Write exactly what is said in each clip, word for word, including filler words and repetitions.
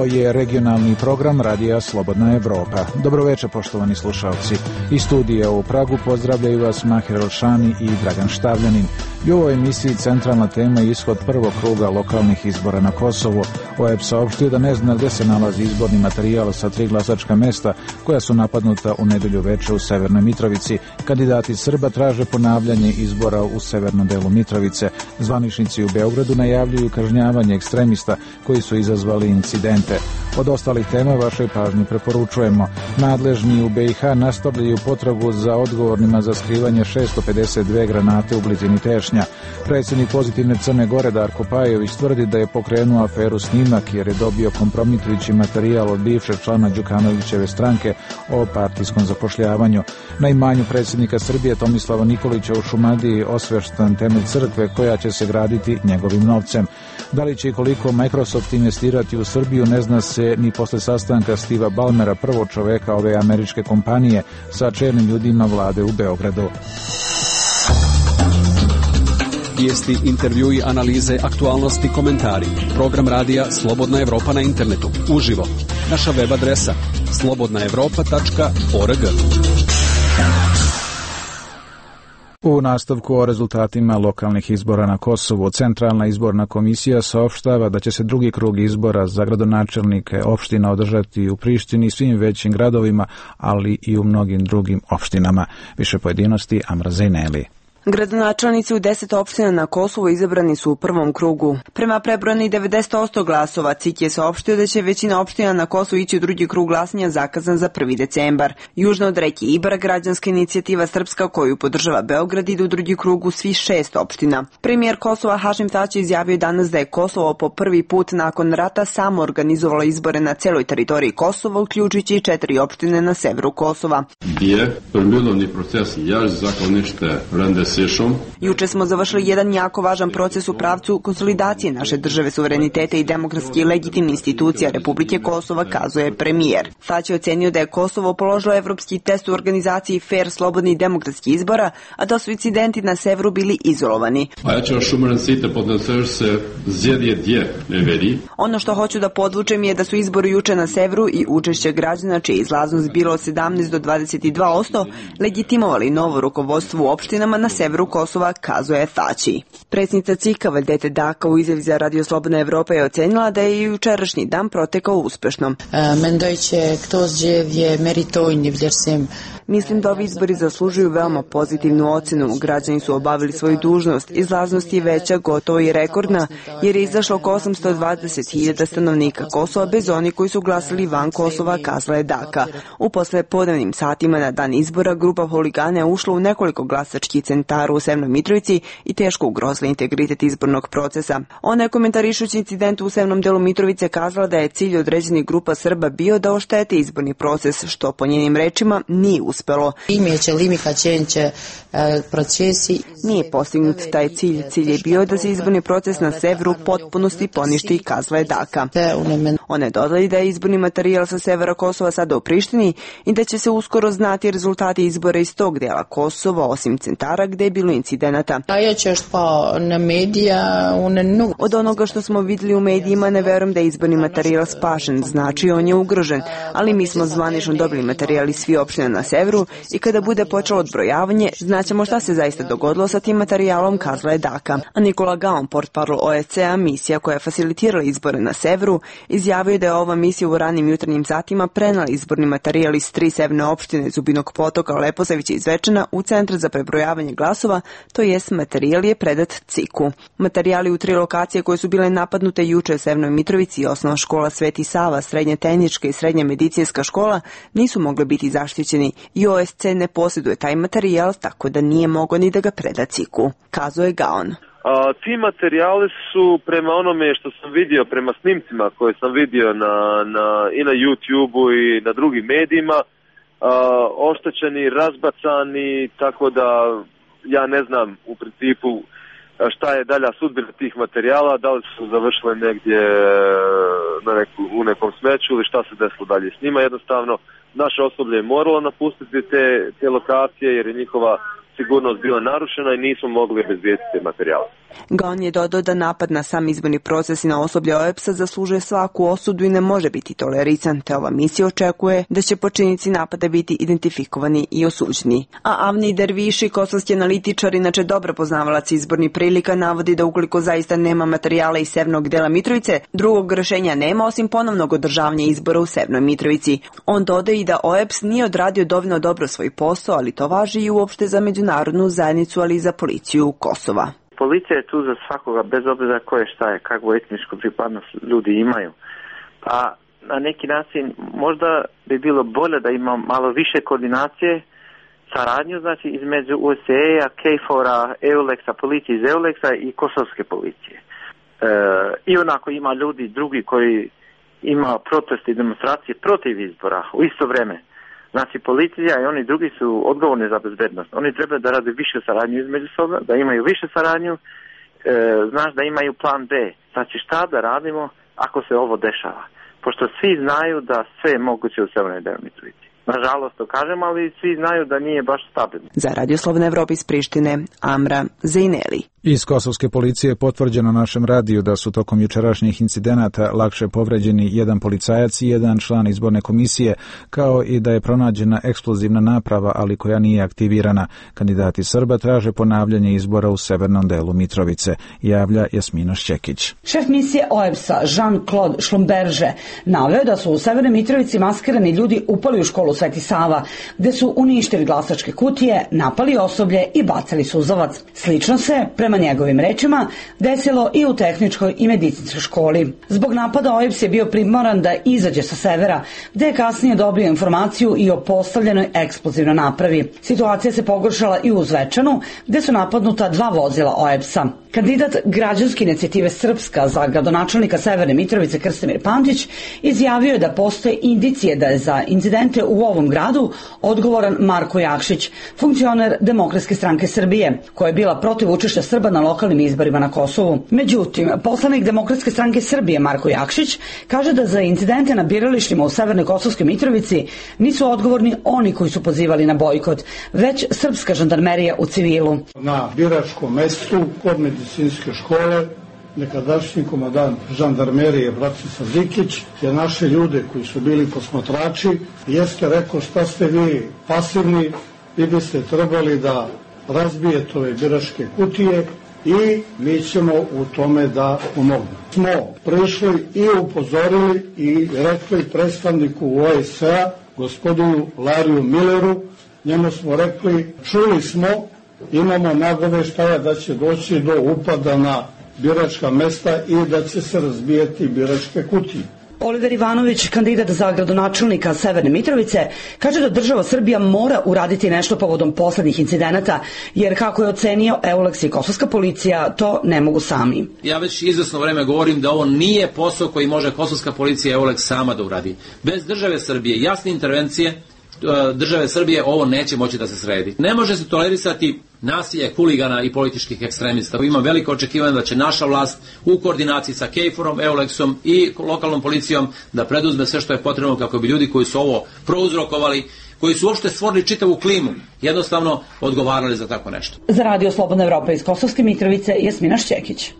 Ovo je regionalni program Radija Slobodna Evropa. Dobroveče, poštovani slušalci. Iz studija u Pragu pozdravljaju vas Mahir Elšani i Dragan Štavljanin. I u ovoj emisiji centralna tema je ishod prvog kruga lokalnih izbora na Kosovu. O E P saopštio da ne zna gde se nalazi izborni materijal sa tri glasačka mesta koja su napadnuta u nedelju veče u Severnoj Mitrovici. Kandidati Srba traže ponavljanje izbora u severnom delu Mitrovice. Zvaničnici u Beogradu najavljuju kažnjavanje ekstremista koji su izazvali incidente. Od ostalih tema vašoj pažnji preporučujemo. Nadležni u B i H nastavljaju potragu za odgovornima za skrivanje šesto pedeset dve granate u blizini Tešnja. Predsjednik Pozitivne Crne Gore Darko Pajović tvrdi da je pokrenuo aferu Snimak jer je dobio kompromitujući materijal od bivšeg člana Đukanovićeve stranke o partijskom zapošljavanju. Na imanju predsjednika Srbije Tomislava Nikolića u Šumadiji osveštan temelj crkve koja će se graditi njegovim novcem. Da li će i koliko Microsoft investirati u Srbiju ne zna se ni posle sastanka Steva Ballmera, prvog čoveka ove američke kompanije, sa čelnim ljudima vlade u Beogradu. Vijesti, intervjui, analize, aktualnosti, komentari. Program radija Slobodna Evropa na internetu. Uživo. Naša web adresa slobodna evropa tačka org. U nastavku o rezultatima lokalnih izbora na Kosovu, Centralna izborna komisija saopštava da će se drugi krug izbora za gradonačelnike opština održati u Prištini i svim većim gradovima, ali i u mnogim drugim opštinama. Više pojedinosti Amra Zejneli. Gradonačelnici u deset opština na Kosovu izabrani su u prvom krugu. Prema prebrojani devedeset posto glasova, C I K je saopštio da će većina opština na Kosovu ići u drugi krug glasanja zakazan za prvi decembar. Južno od reke Ibar, građanska inicijativa Srpska koju podržava Beograd ide u drugi krug u svih šest opština. Premijer Kosova Hašim Tači izjavio danas da je Kosovo po prvi put nakon rata samo organizovalo izbore na celoj teritoriji Kosova, uključujući i četiri opštine na severu Kosova. Gdje prmilovni proces jaž zaklonište rende Juče smo završili jedan jako važan proces u pravcu konsolidacije naše države, suvereniteta i demokratski i legitimni institucija Republike Kosova, kazuje premijer. Tać je ocenio da je Kosovo položilo evropski test u organizaciji fair, slobodni i demokratski izbora, a da su incidenti na severu bili izolovani. Ono što hoću da podvučem je da su izbori juče na severu i učešće građana, čija izlaznost bilo od sedamnaest do dvadeset dva posto, legitimovali novo rukovodstvo u opštinama na severu Kosova, kazuje Tači. Predsjednica C I K-a Valdete Daka u izjavi za Radio Slobodna Evropa je ocenila da je i jučerašnji dan protekao uspešno. Mislim da ovi izbori zaslužuju veoma pozitivnu ocenu. Građani su obavili svoju dužnost. Izlaznost je veća, gotovo i rekordna, jer je izašlo oko osamsto dvadeset hiljada stanovnika Kosova bez onih koji su glasali van Kosova, kazala je Daka. U poslepodnevnim satima na dan izbora grupa huligana je ušla u nekoliko glasačkih centara u Severnoj Mitrovici i teško ugrozila integritet izbornog procesa. Ona je komentarišući incident u severnom delu Mitrovice kazala da je cilj određenih grupa Srba bio da oštete izborni proces, što po njenim rečima nije uspelo. Nije postignut taj cilj. Cilj je bio da se izborni proces na severu potpunosti poništi, kazala je Daka. Ona je dodala da je izborni materijal sa severa Kosova sada u Prištini i da će se uskoro znati rezultati izbora iz tog dela Kosova, osim centara gde je bilo incidenata. Od onoga što smo vidjeli u medijima ne verujem da je izborni materijal spašen, znači on je ugrožen, ali mi smo zvanično dobili materijal iz svih opština na severu i kada bude počelo odbrojavanje, znaćemo šta se zaista dogodilo sa tim materijalom, kazala je Daka. A Nikola Gaon, portparol O E C A, misija koja je facilitirala izbore na severu, izjavio da je ova misija u ranim jutarnjim satima prenala izborni materijal iz tri severne opštine Zubinog Potoka, Leposavića i Zvečana u Centar za prebrojavanje glasova, to jest materijal je predat C I K-u. Materijali u tri lokacije koje su bile napadnute juče u Severnoj Mitrovici, osnovna škola Sveti Sava, srednja tehnička i srednja medicinska škola, nisu mogle biti zaštićeni i O S C ne posjeduje taj materijal, tako da nije mogao ni da ga preda C I K-u, kazuje Gaon. A, ti materijali su prema onome što sam vidio, prema snimcima koje sam vidio na, na, i na YouTube-u i na drugim medijima, a, oštećeni, razbacani, tako da ja ne znam u principu šta je dalja sudbina tih materijala, da li su završile negdje na neku, u nekom smeću ili šta se desilo dalje s njima. Jednostavno, naše osoblje je moralo napustiti te, te lokacije jer je njihova sigurnost bila narušena i nismo mogli obezbijediti materijal. Gon je dodao da napad na sam izborni proces i na osoblje O E B S-a zaslužuje svaku osudu i ne može biti tolerisan, te ova misija očekuje da će počinnici napada biti identifikovani i osuđeni. A Avni Derviši, kosovski analitičar, inače dobro poznavalac izbornih prilika, navodi da ukoliko zaista nema materijala iz severnog dela Mitrovice, drugog rešenja nema osim ponovnog održavanja izbora u severnoj Mitrovici. On dodaje i da O E B S nije odradio dovoljno dobro svoj posao, ali to važi i uopšte za međunarodnu zajednicu, ali i za policiju Kosova. Policija je tu za svakoga, bez obzira koje šta je, kakvu etničku pripadnost ljudi imaju. Pa na neki način možda bi bilo bolje da ima malo više koordinacije, saradnju, znači između U S E-a, K F O R-a, EULEX-a, policije iz EULEX-a i kosovske policije. E, I onako ima ljudi drugi koji ima proteste i demonstracije protiv izbora u isto vreme. Znači, policija i oni drugi su odgovorni za bezbednost. Oni treba da rade više saradnju između soba, da imaju više saradnju, e, znaš da imaju plan B. Znači, šta da radimo ako se ovo dešava? Pošto svi znaju da sve je moguće u Severnoj Mitrovici. Nažalost to kažem, ali svi znaju da nije baš stabilno. Za Radio Slobodna Evropa iz Prištine, Amra Zejneli. Iz kosovske policije je potvrđeno našem radiju da su tokom jučerašnjih incidenata lakše povređeni jedan policajac i jedan član izborne komisije, kao i da je pronađena eksplozivna naprava, ali koja nije aktivirana. Kandidati Srba traže ponavljanje izbora u severnom delu Mitrovice, javlja Jasmina Šćekić. Šef misije O E B S-a Jean-Claude Schlumberger naveo da su u severnoj Mitrovici maskirani ljudi upali u školu Sveti Sava, gde su uništili glasačke kutije, napali osoblje i bacali suzavac. Slično se, prema njegovim rečima, desilo i u tehničkoj i medicinskoj školi. Zbog napada O E B S je bio primoran da izađe sa severa, gde je kasnije dobio informaciju i o postavljenoj eksplozivnoj napravi. Situacija se pogoršala i u Zvečanu, gde su napadnuta dva vozila O E B S-a. Kandidat građanske inicijative Srpska za gradonačelnika Severne Mitrovice Krstimir Pantić izjavio je da postoje indicije da je za incidente u ovom gradu odgovoran Marko Jakšić, funkcioner Demokratske stranke Srbije, koja je bila protiv učešća Srba na lokalnim izborima na Kosovu. Međutim, poslanik Demokratske stranke Srbije Marko Jakšić kaže da za incidente na biralištima u Severnoj Kosovskoj Mitrovici nisu odgovorni oni koji su pozivali na bojkot, već srpska žandarmerija u civilu. Na biračkom mestu kod medicinske škole nekadašnji komandant žandarmerije Bratislav Dikić je naše ljude koji su bili posmatrači jeste rekao šta ste vi pasivni, vi biste trebali da razbijete ove biračke kutije i mi ćemo u tome da pomognemo. Smo prišli i upozorili i rekli predstavniku O E S A, gospodinu Lariju Milleru, njemu smo rekli, čuli smo, imamo nagoveštaja da će doći do upada na biračka mesta i da će se razbijati biračke kutije. Oliver Ivanović, kandidat za gradonačelnika Severne Mitrovice, kaže da država Srbija mora uraditi nešto povodom poslednjih incidenata, jer kako je ocenio EULEX i kosovska policija, to ne mogu sami. Ja već izvesno vreme govorim da ovo nije posao koji može kosovska policija i EULEX sama da uradi. Bez države Srbije, jasne intervencije države Srbije, ovo neće moći da se sredi. Ne može se tolerisati nasilje huligana i političkih ekstremista. Imam veliko očekivanje da će naša vlast u koordinaciji sa K F O R-om, EULEX-om i lokalnom policijom da preduzme sve što je potrebno kako bi ljudi koji su ovo prouzrokovali, koji su uopšte stvorili čitavu klimu, jednostavno odgovarali za tako nešto. Za Radio Slobodna Evropa iz Kosovske Mitrovice, Jasmina Šćekić.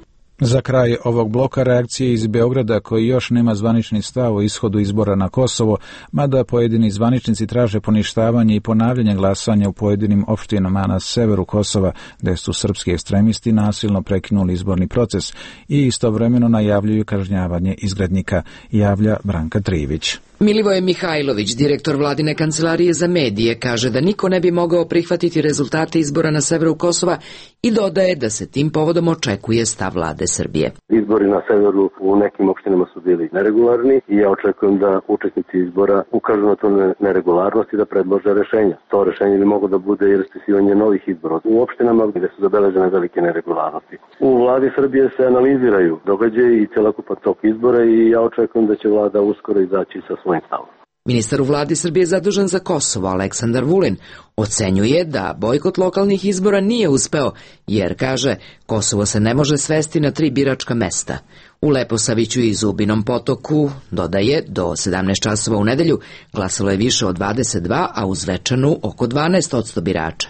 Za kraj ovog bloka reakcije iz Beograda, koji još nema zvanični stav o ishodu izbora na Kosovo, mada pojedini zvaničnici traže poništavanje i ponavljanje glasanja u pojedinim opštinama na severu Kosova, gde su srpski ekstremisti nasilno prekinuli izborni proces i istovremeno najavljuju kažnjavanje izgrednika, javlja Branka Trivić. Milivoje Mihajlović, direktor vladine kancelarije za medije, kaže da niko ne bi mogao prihvatiti rezultate izbora na severu Kosova i dodaje da se tim povodom očekuje stav vlade Srbije. Izbori na severu u nekim opštinama su bili neregularni i ja očekujem da učesnici izbora ukažu na to neregularnost i da predlože rešenja. To rešenje bi moglo da bude i raspisivanje novih izbora u opštinama gde su zabeležene velike neregularnosti. U vladi Srbije se analiziraju događaji i celokupan tok izbora i ja očekujem da će vlada uskoro izaći sa svojim stavom. Ministar u vladi Srbije zadužen za Kosovo, Aleksandar Vulin, ocenjuje da bojkot lokalnih izbora nije uspeo, jer, kaže, Kosovo se ne može svesti na tri biračka mesta. U Leposaviću i Zubinom Potoku, dodaje, do sedamnaest časova u nedelju glasalo je više od dvadeset dva, a u Zvečanu oko dvanaest posto birača.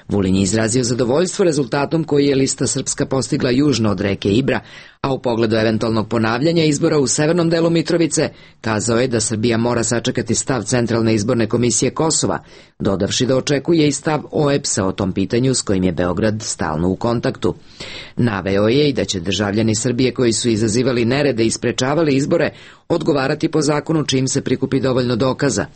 Vulin je izrazio zadovoljstvo rezultatom koji je lista Srpska postigla južno od reke Ibra, a u pogledu eventualnog ponavljanja izbora u severnom delu Mitrovice kazao je da Srbija mora sačekati stav Centralne izborne komisije Kosova, dodavši da očekuje i stav O E B S-a o tom pitanju s kojim je Beograd stalno u kontaktu. Naveo je i da će državljani Srbije koji su izazivali nerede i sprečavali izbore odgovarati po zakonu čim se prikupi dovoljno dokaza.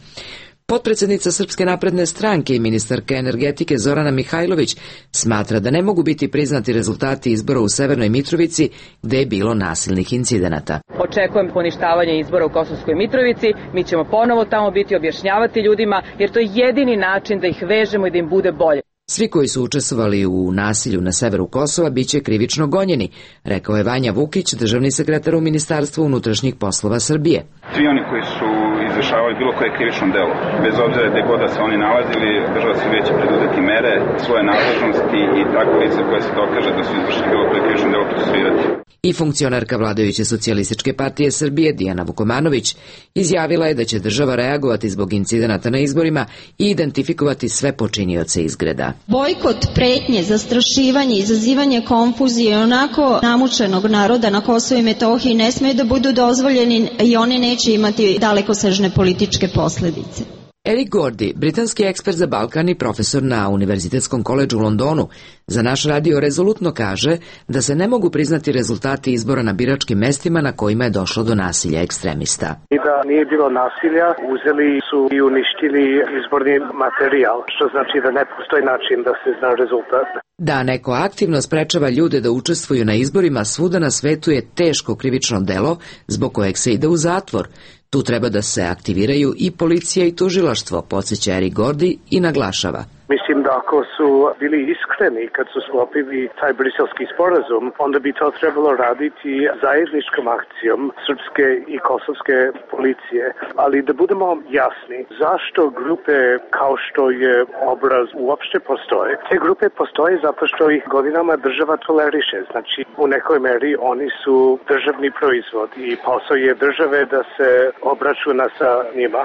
Potpredsednica Srpske napredne stranke i ministarka energetike Zorana Mihajlović smatra da ne mogu biti priznati rezultati izbora u Severnoj Mitrovici gde je bilo nasilnih incidenata. Očekujem poništavanje izbora u Kosovskoj Mitrovici, mi ćemo ponovo tamo biti, objašnjavati ljudima, jer to je jedini način da ih vežemo i da im bude bolje. Svi koji su učestvovali u nasilju na severu Kosova biće krivično gonjeni, rekao je Vanja Vukić, državni sekretar u Ministarstvu unutrašnjih poslova Srbije. Svi oni koji su izvršavali bilo koje krivično delo, bez obzira gde god da se oni nalazili, država Srbije će preduzeti mere, svoje nadležnosti i tako lice koje se dokaže da su izvršili bilo koje krivično delo procesuirati. I funkcionarka vladajuće socijalističke partije Srbije Dijana Vukomanović izjavila je da će država reagovati zbog incidenata na izborima i identifikovati sve počinioce izgreda. Bojkot, pretnje, zastrašivanje, izazivanje konfuzije onako namučenog naroda na Kosovu i Metohiji ne smeju da budu dozvoljeni i one neće imati dalekosežne političke posledice. Eric Gordy, britanski ekspert za Balkan i profesor na Univerzitetskom koledžu u Londonu, za naš radio rezolutno kaže da se ne mogu priznati rezultati izbora na biračkim mestima na kojima je došlo do nasilja ekstremista. I da nije bilo nasilja, uzeli su i uništili izborni materijal, što znači da ne postoji način da se zna rezultat. Da neko aktivno sprečava ljude da učestvuju na izborima svuda na svetu je teško krivično delo zbog kojeg se ide u zatvor. Tu treba da se aktiviraju i policija i tužilaštvo, podsjeća Eric Gordy i naglašava. Mislim da ako su bili iskreni kad su sklopili taj briselski sporazum, onda bi to trebalo raditi zajedničkom akcijom srpske i kosovske policije. Ali da budemo jasni, zašto grupe kao što je Obraz uopšte postoje? Te grupe postoje zato što ih godinama država toleriše. Znači, u nekoj meri oni su državni proizvod i posao je države da se obračuna sa njima.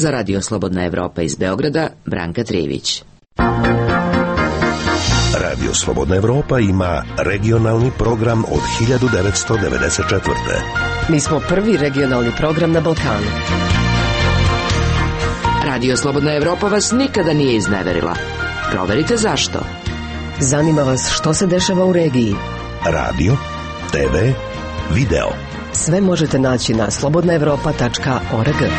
Za Radio Slobodna Evropa iz Beograda, Branka Trijević. Radio Slobodna Evropa ima regionalni program od hiljadu devetsto devedeset četvrte. Mi smo prvi regionalni program na Balkanu. Radio Slobodna Evropa vas nikada nije izneverila. Proverite zašto. Zanima vas što se dešava u regiji. Radio, te ve, video. Sve možete naći na slobodna evropa tačka org.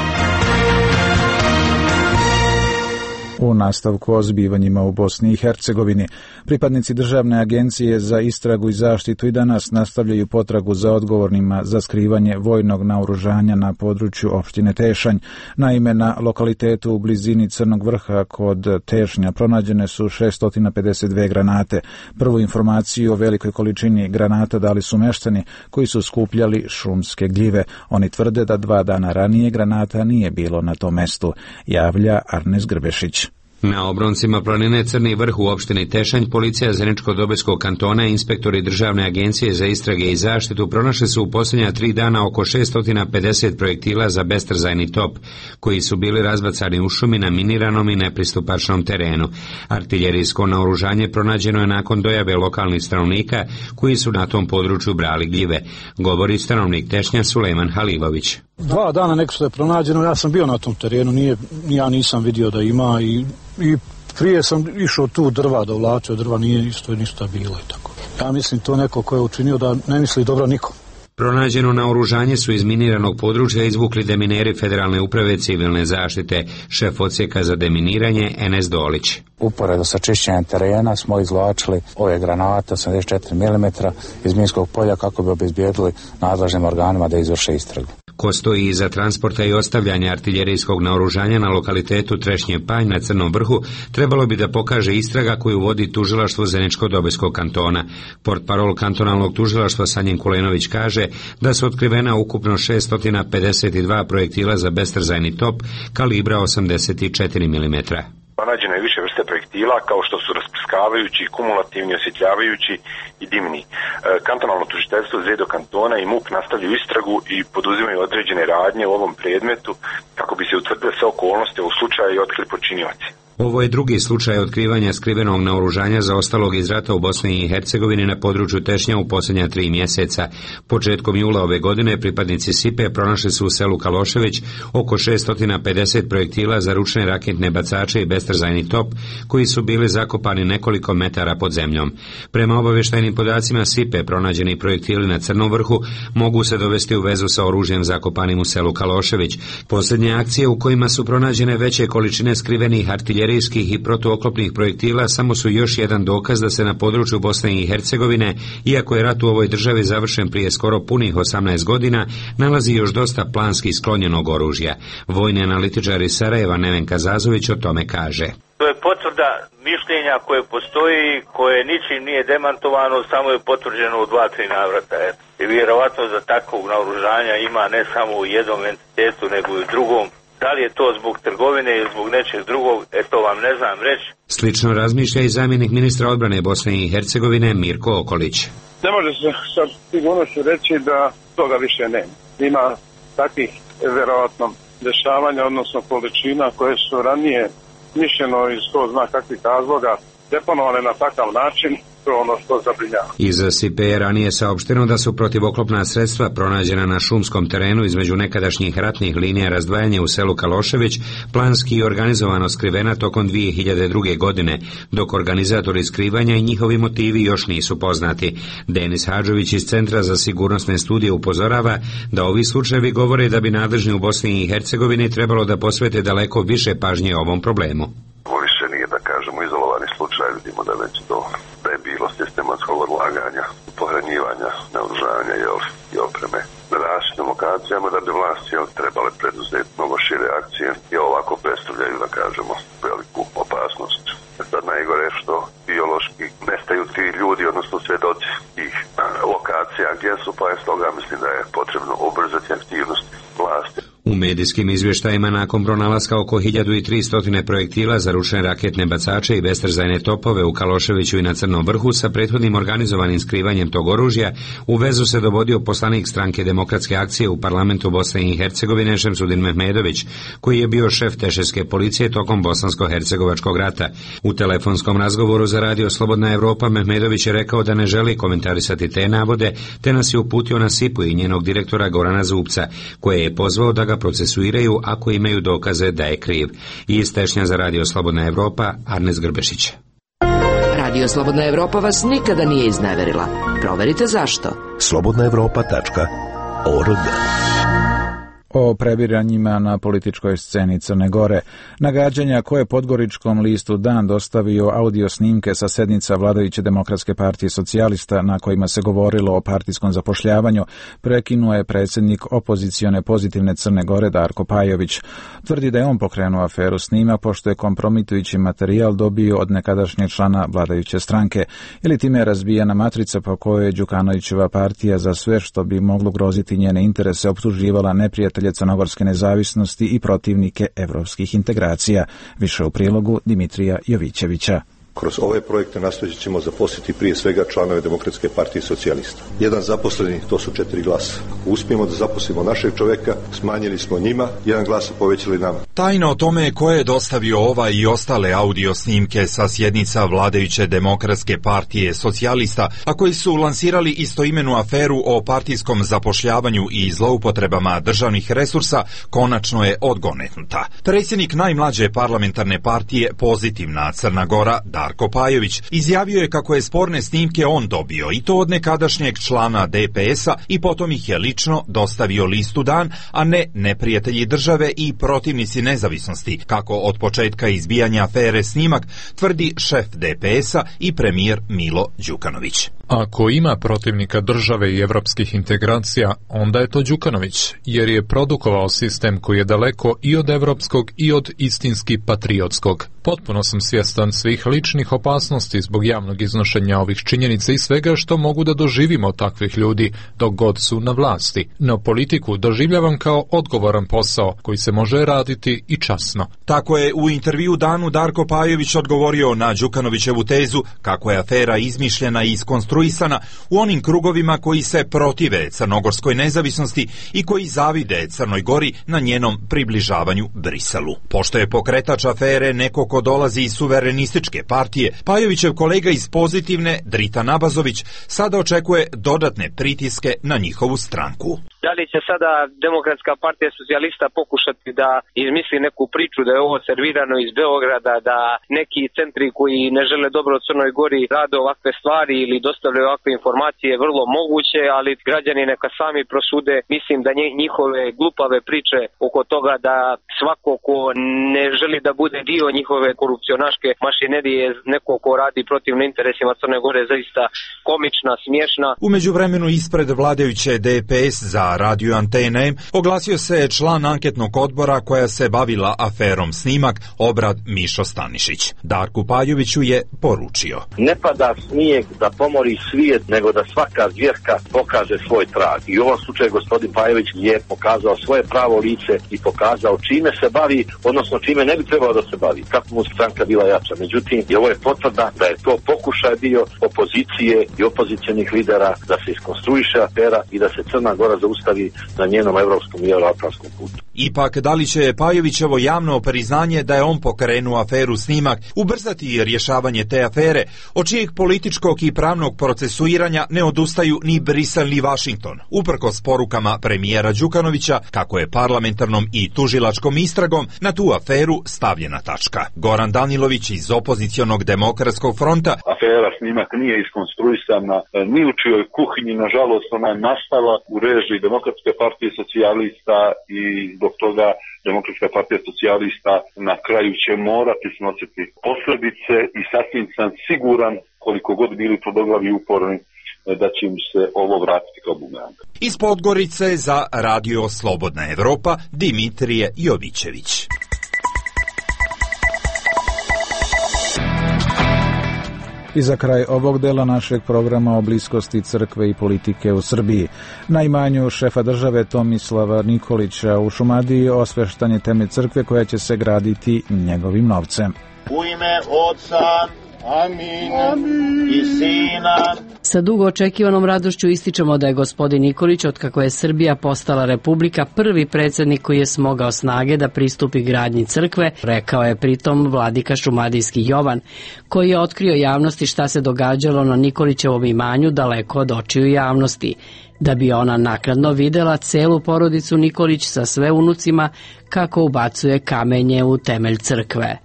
U nastavku o zbivanjima u Bosni i Hercegovini, pripadnici Državne agencije za istragu i zaštitu i danas nastavljaju potragu za odgovornima za skrivanje vojnog naoružanja na području opštine Tešanj. Naime, na lokalitetu u blizini Crnog vrha kod Tešnja pronađene su šesto pedeset dve granate. Prvu informaciju o velikoj količini granata dali su meštani koji su skupljali šumske gljive. Oni tvrde da dva dana ranije granata nije bilo na tom mestu, javlja Arnes Grbešić. Na obroncima planine Crni vrh u opštini Tešanj policija Zeničko-Dobojskog kantona i inspektori Državne agencije za istrage i zaštitu pronašli su u posljednja tri dana oko šesto pedeset projektila za bestrzajni top, koji su bili razbacani u šumi na miniranom i nepristupačnom terenu. Artiljerijsko naoružanje pronađeno je nakon dojave lokalnih stanovnika koji su na tom području brali gljive, govori stanovnik Tešnja Sulejman Halilović. Dva dana neko što je pronađeno, ja sam bio na tom terenu, nije, ja nisam vidio da ima i, i prije sam išao tu drva da uvlačio, drva nije isto ništa bilo i tako. Ja mislim to neko ko je učinio da ne misli dobro nikom. Pronađeno naoružanje su iz miniranog područja izvukli demineri Federalne uprave civilne zaštite, šef odsjeka za deminiranje Enes Dolić. Uporedo sa čišćenjem terena smo izvlačili ove granate osamdeset četiri milimetra iz minskog polja kako bi obezbijedili nadležnim organima da izvrše istragu. Ko stoji iza transporta i ostavljanja artiljerijskog naoružanja na lokalitetu Trešnje Panj na Crnom vrhu trebalo bi da pokaže istraga koju vodi tužilaštvo Zeničko-Dobojskog kantona. Portparol kantonalnog tužilaštva Sanjin Kulenović kaže da su otkrivena ukupno šesto pedeset dva projektila za bestrzajni top kalibra osamdeset četiri milimetra. Pronađeno je više vrste projektila kao što su rasprskavajući, kumulativni, osjetljavajući i dimni. E, kantonalno tužiteljstvo Zedo kantona i MUP nastavljaju istragu i poduzimaju određene radnje u ovom predmetu kako bi se utvrdile sve okolnosti u slučaju i otkrili počinioci. Ovo je drugi slučaj otkrivanja skrivenog naoružanja zaostalog iz rata u Bosni i Hercegovini na području Tešnja u posljednja tri mjeseca. Početkom jula ove godine pripadnici S I P-e pronašli su u selu Kalošević oko šesto pedeset projektila za ručne raketne bacače i bestrzajni top, koji su bili zakopani nekoliko metara pod zemljom. Prema obavještajnim podacima S I P-e, pronađeni projektili na Crnom vrhu mogu se dovesti u vezu sa oružjem zakopanim u selu Kalošević. Posljednje akcije u kojima su pronađene veće količine skrivenih artiljerijskih i protuoklopnih projektila samo su još jedan dokaz da se na području Bosne i Hercegovine, iako je rat u ovoj državi završen prije skoro punih osamnaest godina, nalazi još dosta planski sklonjenog oružja. Vojni analitičar iz Sarajeva Nevenka Zazović o tome kaže. To je potvrda mišljenja koje postoji, koje ničim nije demantovano, samo je potvrđeno u dva, tri navrata. I vjerovatno za takvog naoružanja ima ne samo u jednom entitetu, nego i u drugom. Da li je to zbog trgovine ili zbog nečeg drugog, e to vam ne znam reći. Slično razmišlja i zamjenik ministra odbrane Bosne i Hercegovine Mirko Okolić. Ne može se sa sigurnošću reći da toga više nema. Ima takvih vjerovatno dešavanja, odnosno količina koje su ranije mišljeno iz ko zna kakvih razloga deponovane na takav način, to je ono što zabrinjava. Iz S I P je ranije saopšteno da su protivoklopna sredstva pronađena na šumskom terenu između nekadašnjih ratnih linija razdvajanja u selu Kalošević planski i organizovano skrivena tokom dvije hiljade druge. godine, dok organizatori skrivanja i njihovi motivi još nisu poznati. Denis Hadžović iz Centra za sigurnosne studije upozorava da ovi slučajevi govore da bi nadležni u Bosni i Hercegovini trebalo da posvete daleko više pažnje ovom problemu. Vidimo da već to da je bilo sistematskog odlaganja, pohranjivanja, naoružanja i opreme na različitim lokacijama, da bi vlasti trebale preduzeti mnogo šire akcije i ovako predstavljaju, da kažemo, veliku opasnost. Sad najgore je što biološki nestaju ti ljudi, odnosno svedoci tih lokacija gdje su, pa je stoga mislim da je potrebno ubrzati aktivnosti vlasti. U medijskim izvještajima nakon pronalaska oko hiljadu tristo projektila za ručne raketne bacače i bestrzajne topove u Kaloševiću i na Crnom vrhu sa prethodnim organizovanim skrivanjem tog oružja, u vezu se dovodio poslanik stranke Demokratske akcije u parlamentu Bosne i Hercegovine Šemsudin Mehmedović, koji je bio šef teševske policije tokom bosansko-hercegovačkog rata. U telefonskom razgovoru za radio Slobodna Evropa Mehmedović je rekao da ne želi komentarisati te navode, te nas je uputio na S I P-u i njenog direktora Gorana Zupca, koje je pozvao da ga procesuiraju ako imaju dokaze da je kriv. Iz Tešnja za radio Slobodna Evropa, Arnes Grbešić. Radio Slobodna Evropa vas nikada nije izneverila. Proverite zašto. slobodna evropa tačka org. O prebiranjima na političkoj sceni Crne Gore, nagađanja koje Podgoričkom listu Dan dostavio audio snimke sa sednica vladajuće Demokratske partije socijalista na kojima se govorilo o partijskom zapošljavanju, prekinuo je predsjednik opozicione Pozitivne Crne Gore Darko Pajović. Tvrdi da je on pokrenuo aferu snima pošto je kompromitujući materijal dobio od nekadašnjeg člana vladajuće stranke, ili time je razbijena matrica po kojoj je Đukanovićeva partija za sve što bi moglo groziti njene interese optuživala neprijatelje crnogorske nezavisnosti i protivnike evropskih integracija. Više u prilogu Dimitrija Jovićevića. Kroz ove projekte nastojat ćemo zaposliti prije svega članove Demokratske partije socijalista. Jedan zaposleni, to su četiri glasa. Ako uspijemo da zaposlimo našeg čovjeka, smanjili smo njima, jedan glas povećali nama. Tajna o tome ko je dostavio ova i ostale audio snimke sa sjednica vladajuće Demokratske partije socijalista, a koji su lansirali istoimenu aferu o partijskom zapošljavanju i zloupotrebama državnih resursa, konačno je odgonetnuta. Predsjednik najmlađe parlamentarne partije Pozitivna Crna Gora, Darko Pajović, izjavio je kako je sporne snimke on dobio i to od nekadašnjeg člana D P S-a i potom ih je lično dostavio listu Dan, a ne neprijatelji države i protivnici nezavisnosti, kako od početka izbijanja afere snimak tvrdi šef D P S-a i premijer Milo Đukanović. Ako ima protivnika države i evropskih integracija, onda je to Đukanović, jer je produkovao sistem koji je daleko i od evropskog i od istinski patriotskog. Potpuno sam svjestan svih ličnih opasnosti zbog javnog iznošenja ovih činjenica i svega što mogu da doživimo od takvih ljudi dok god su na vlasti. No politiku doživljavam kao odgovoran posao koji se može raditi i časno. Tako je u intervju Danu Darko Pajović odgovorio na Đukanovićevu tezu kako je afera izmišljena i iskonstruirana konstruisana u onim krugovima koji se protive crnogorskoj nezavisnosti i koji zavide Crnoj Gori na njenom približavanju Briselu. Pošto je pokretač afere neko ko dolazi iz suverenističke partije, Pajovićev kolega iz Pozitivne, Drita Nabazović, sada očekuje dodatne pritiske na njihovu stranku. Da li će sada Demokratska partija socijalista pokušati da izmisli neku priču da je ovo servirano iz Beograda, da neki centri koji ne žele dobro u Crnoj Gori rade ovakve stvari ili dostavljaju ovakve informacije, vrlo moguće, ali građani neka sami prosude. Mislim da njihove glupave priče oko toga da svako ko ne želi da bude dio njihove korupcionaške mašinerije, neko ko radi protivno interesima Crne Gore, zaista komična, smiješna. U međuvremenu ispred vladajuće D P S za radio Antene oglasio se član anketnog odbora koja se bavila aferom Snimak, Obrad Mišo Stanišić. Darku Pajoviću je poručio: ne pada snijeg da pomori svijet, nego da svaka zvjerka pokaže svoj trag. I u ovom slučaju gospodin Pajović je pokazao svoje pravo lice i pokazao čime se bavi, odnosno čime ne bi trebalo da se bavi, kako mu stranka bila jača. Međutim, i ovo je potvrda da je to pokušaj bio opozicije i opozicionih lidera da se iskonstruiše afera i da se Crna Gora zaustavi na njenom evropskom i euroatlantskom putu. Ipak, da li će Pajovićevo javno priznanje da je on pokrenuo aferu Snimak ubrzati rješavanje te afere, od čijeg političkog i pravnog procesuiranja ne odustaju ni Brisel ni Vašington, uprkos porukama premijera Đukanovića kako je parlamentarnom i tužilačkom istragom na tu aferu stavljena tačka. Goran Danilović iz opozicionog Demokratskog fronta: afera Snimak nije iskonstruisana ni u čijoj kuhinji, nažalost ona je nastala u režiji Demokratske partije socijalista i zbog toga Demokratska partija socijalista na kraju će morati snositi posljedice i sasvim sam siguran, koliko god bili tvrdoglavi uporni, da će im se ovo vratiti kao bumerang. Iz Podgorice za Radio Slobodna Evropa, Dimitrije Jovićević. I za kraj ovog dela našeg programa o bliskosti crkve i politike u Srbiji. Na imanju šefa države Tomislava Nikolića u Šumadiji osveštan je temelj crkve koja će se graditi njegovim novcem. U ime Otca, Amin, Amin. I Sina. Sa dugo očekivanom radošću ističemo da je gospodin Nikolić, otkako je Srbija postala republika, prvi predsjednik koji je smogao snage da pristupi gradnji crkve, rekao je pritom vladika šumadijski Jovan, koji je otkrio javnosti šta se događalo na Nikolićevom imanju daleko od očiju javnosti. Da bi ona naknadno videla celu porodicu Nikolić sa sve unucima kako ubacuje kamenje u temelj crkve.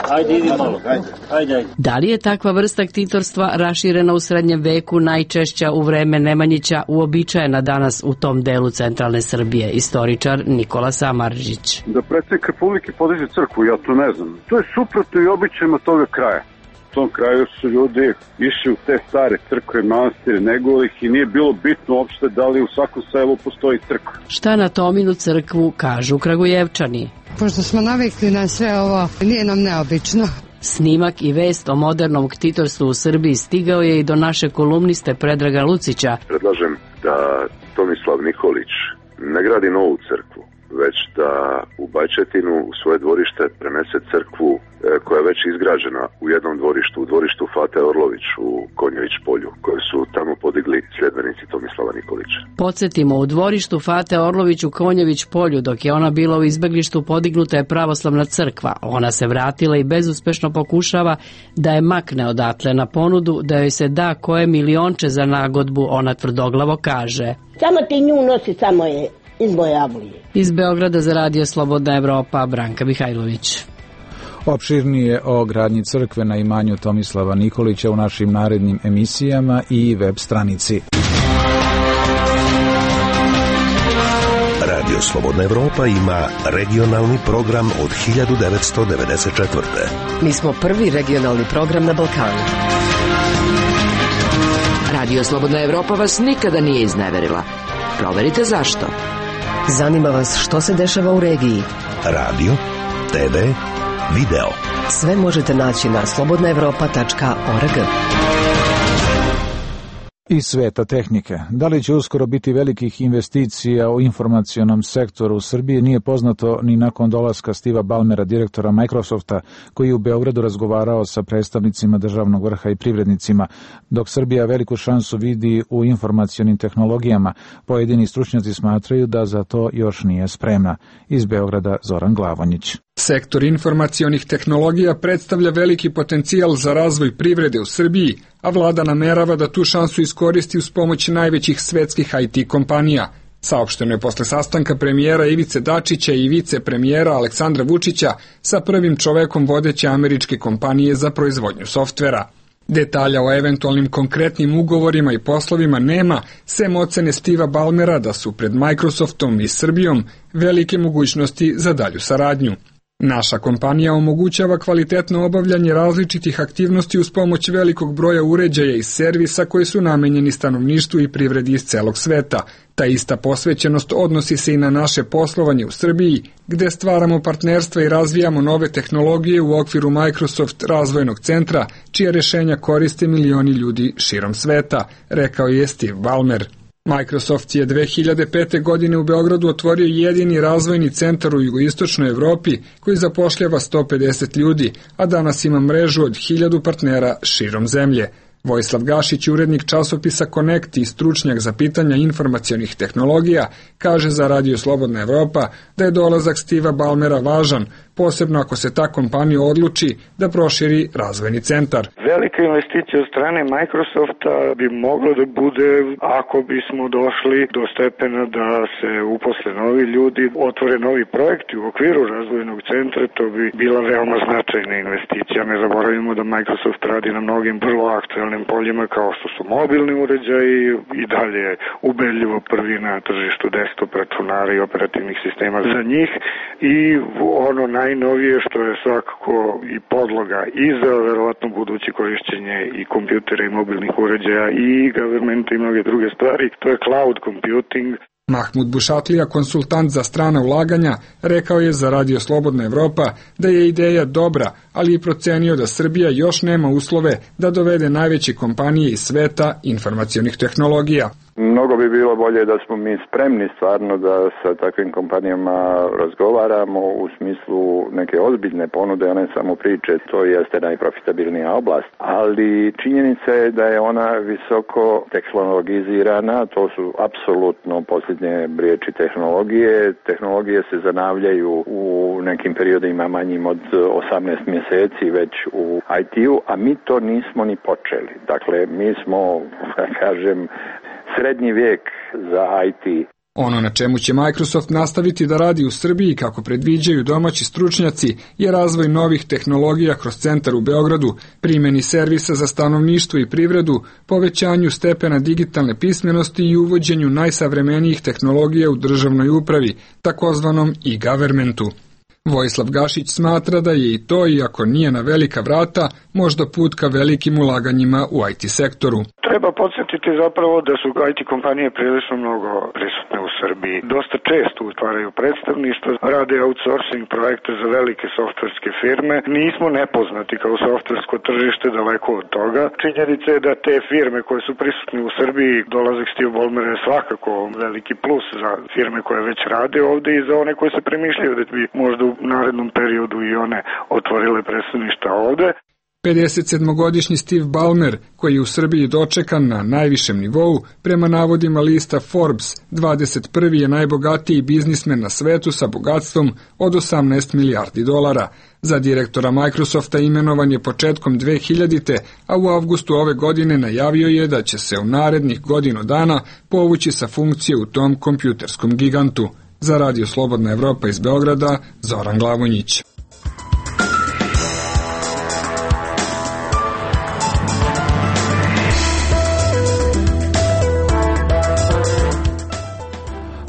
Ajde, idi malo, ajde, ajde. Da li je takva vrsta ktitorstva raširena u srednjem veku, najčešća u vreme Nemanjića, uobičajena danas u tom delu centralne Srbije? Istoričar Nikola Samarđić. Da predsjednik Republike podiže crkvu, ja to ne znam. To je suprotno i običajima toga kraja. U tom kraju su ljudi išli u te stare crkve, manastire, nego ih i nije bilo bitno uopšte da li u svakom selu postoji crkva. Šta na Tominu crkvu kažu Kragujevčani? Pošto smo navikli na sve ovo, nije nam neobično. Snimak i vest o modernom ktitorstvu u Srbiji stigao je i do naše kolumniste Predraga Lucića. Predlažem da Tomislav Nikolić ne gradi novu crkvu, već da u Bajčetinu u svoje dvorište prenese crkvu koja je već izgrađena u jednom dvorištu, u dvorištu Fate Orlović u Konjević polju, koje su tamo podigli sljedbenici Tomislava Nikolića. Podsjetimo, u dvorištu Fate Orlović u Konjević polju, dok je ona bila u izbeglištu, podignuta je pravoslavna crkva. Ona se vratila i bezuspešno pokušava da je makne odatle na ponudu, da joj se da koje milionče za nagodbu, ona tvrdoglavo kaže. Samo ti nju nosi, samo je iz Bojavlije. Iz Beograda za Radio Slobodna Evropa, Branka Mihajlović. Opširnije o gradnji crkve na imanju Tomislava Nikolića u našim narednim emisijama i web stranici. Radio Slobodna Evropa ima regionalni program od hiljadu devetsto devedeset četvrte. Mi smo prvi regionalni program na Balkanu. Radio Slobodna Evropa vas nikada nije izneverila. Proverite zašto. Zanima vas što se dešava u regiji. Radio, te ve, video. Sve možete naći na slobodna evropa tačka org. Iz sveta tehnike. Da li će uskoro biti velikih investicija u informacionom sektoru u Srbiji nije poznato ni nakon dolaska Steve'a Ballmera, direktora Microsofta, koji je u Beogradu razgovarao sa predstavnicima državnog vrha i privrednicima. Dok Srbija veliku šansu vidi u informacionim tehnologijama, pojedini stručnjaci smatraju da za to još nije spremna. Iz Beograda Zoran Glavonjić. Sektor informacionih tehnologija predstavlja veliki potencijal za razvoj privrede u Srbiji, a vlada namerava da tu šansu iskoristi uz pomoć najvećih svetskih I T kompanija. Saopšteno je posle sastanka premijera Ivice Dačića i vicepremijera Aleksandra Vučića sa prvim čovekom vodeće američke kompanije za proizvodnju softvera. Detalja o eventualnim konkretnim ugovorima i poslovima nema, sem ocene Steve'a Ballmera da su pred Microsoftom i Srbijom velike mogućnosti za dalju saradnju. Naša kompanija omogućava kvalitetno obavljanje različitih aktivnosti uz pomoć velikog broja uređaja i servisa koji su namenjeni stanovništvu i privredi iz celog sveta. Ta ista posvećenost odnosi se i na naše poslovanje u Srbiji, gde stvaramo partnerstva i razvijamo nove tehnologije u okviru Microsoft razvojnog centra, čija rešenja koriste milioni ljudi širom sveta, rekao je Steve Ballmer. Microsoft je dve hiljade pete. godine u Beogradu otvorio jedini razvojni centar u jugoistočnoj Evropi koji zapošljava sto pedeset ljudi, a danas ima mrežu od hiljadu partnera širom zemlje. Vojislav Gašić, urednik časopisa Connect i stručnjak za pitanja informacionih tehnologija, kaže za Radio Slobodna Evropa da je dolazak Steve'a Ballmera važan, posebno ako se ta kompanija odluči da proširi razvojni centar. Velika investicija od strane Microsofta bi moglo da bude ako bismo došli do stepena da se uposle novi ljudi, otvore novi projekti u okviru razvojnog centra, to bi bila veoma značajna investicija. Ne zaboravimo da Microsoft radi na mnogim vrlo aktualnim poljima kao što su mobilni uređaji i dalje ubedljivo prvi na tržištu desktop računara i operativnih sistema za njih i ono najnovije što je svakako i podloga i za verovatno buduće korišćenje i kompjutera i mobilnih uređaja i governmenta i mnoge druge stvari, to je cloud computing. Mahmud Bušatlija, konsultant za strana ulaganja, rekao je za Radio Slobodna Evropa da je ideja dobra, ali i procenio da Srbija još nema uslove da dovede najveće kompanije iz sveta informacionih tehnologija. Mnogo bi bilo bolje da smo mi spremni stvarno da sa takvim kompanijama razgovaramo u smislu neke ozbiljne ponude, a ne samo priče. To jeste najprofitabilnija oblast, ali činjenica je da je ona visoko tehnologizirana, to su apsolutno posljednje riječi tehnologije. Tehnologije se zanavljaju u nekim periodima manjim od osamnaest mjeseci već u I T-u, a mi to nismo ni počeli. Dakle, mi smo, da kažem, srednji vijek za I T. Ono na čemu će Microsoft nastaviti da radi u Srbiji, kako predviđaju domaći stručnjaci, je razvoj novih tehnologija kroz centar u Beogradu, primjeni servisa za stanovništvo i privredu, povećanju stepena digitalne pismenosti i uvođenju najsavremenijih tehnologija u državnoj upravi, takozvanom e-governmentu. Vojislav Gašić smatra da je i to, iako nije na velika vrata, možda put ka velikim ulaganjima u I T sektoru. Treba podsjetiti zapravo da su I T kompanije prilično mnogo prisutne u Srbiji. Dosta često utvaraju predstavništvo, rade outsourcing projekte za velike softverske firme. Nismo nepoznati kao softversko tržište, daleko od toga. Činjenica je da te firme koje su prisutne u Srbiji, dolazak Steve Ballmera je svakako veliki plus za firme koje već rade ovde i za one koje se premišljaju da bi možda u narednom periodu i one otvorile predstavništa ovde. pedesetsedmogodišnji Steve Ballmer, koji je u Srbiji dočekan na najvišem nivou, prema navodima lista Forbes, dvadeset prvi je najbogatiji biznismen na svetu sa bogatstvom od osamnaest milijardi dolara. Za direktora Microsofta imenovan je početkom dve hiljadite. a u avgustu ove godine najavio je da će se u narednih godinu dana povući sa funkcije u tom kompjuterskom gigantu. Za Radio Slobodna Evropa iz Beograda, Zoran Glavonjić.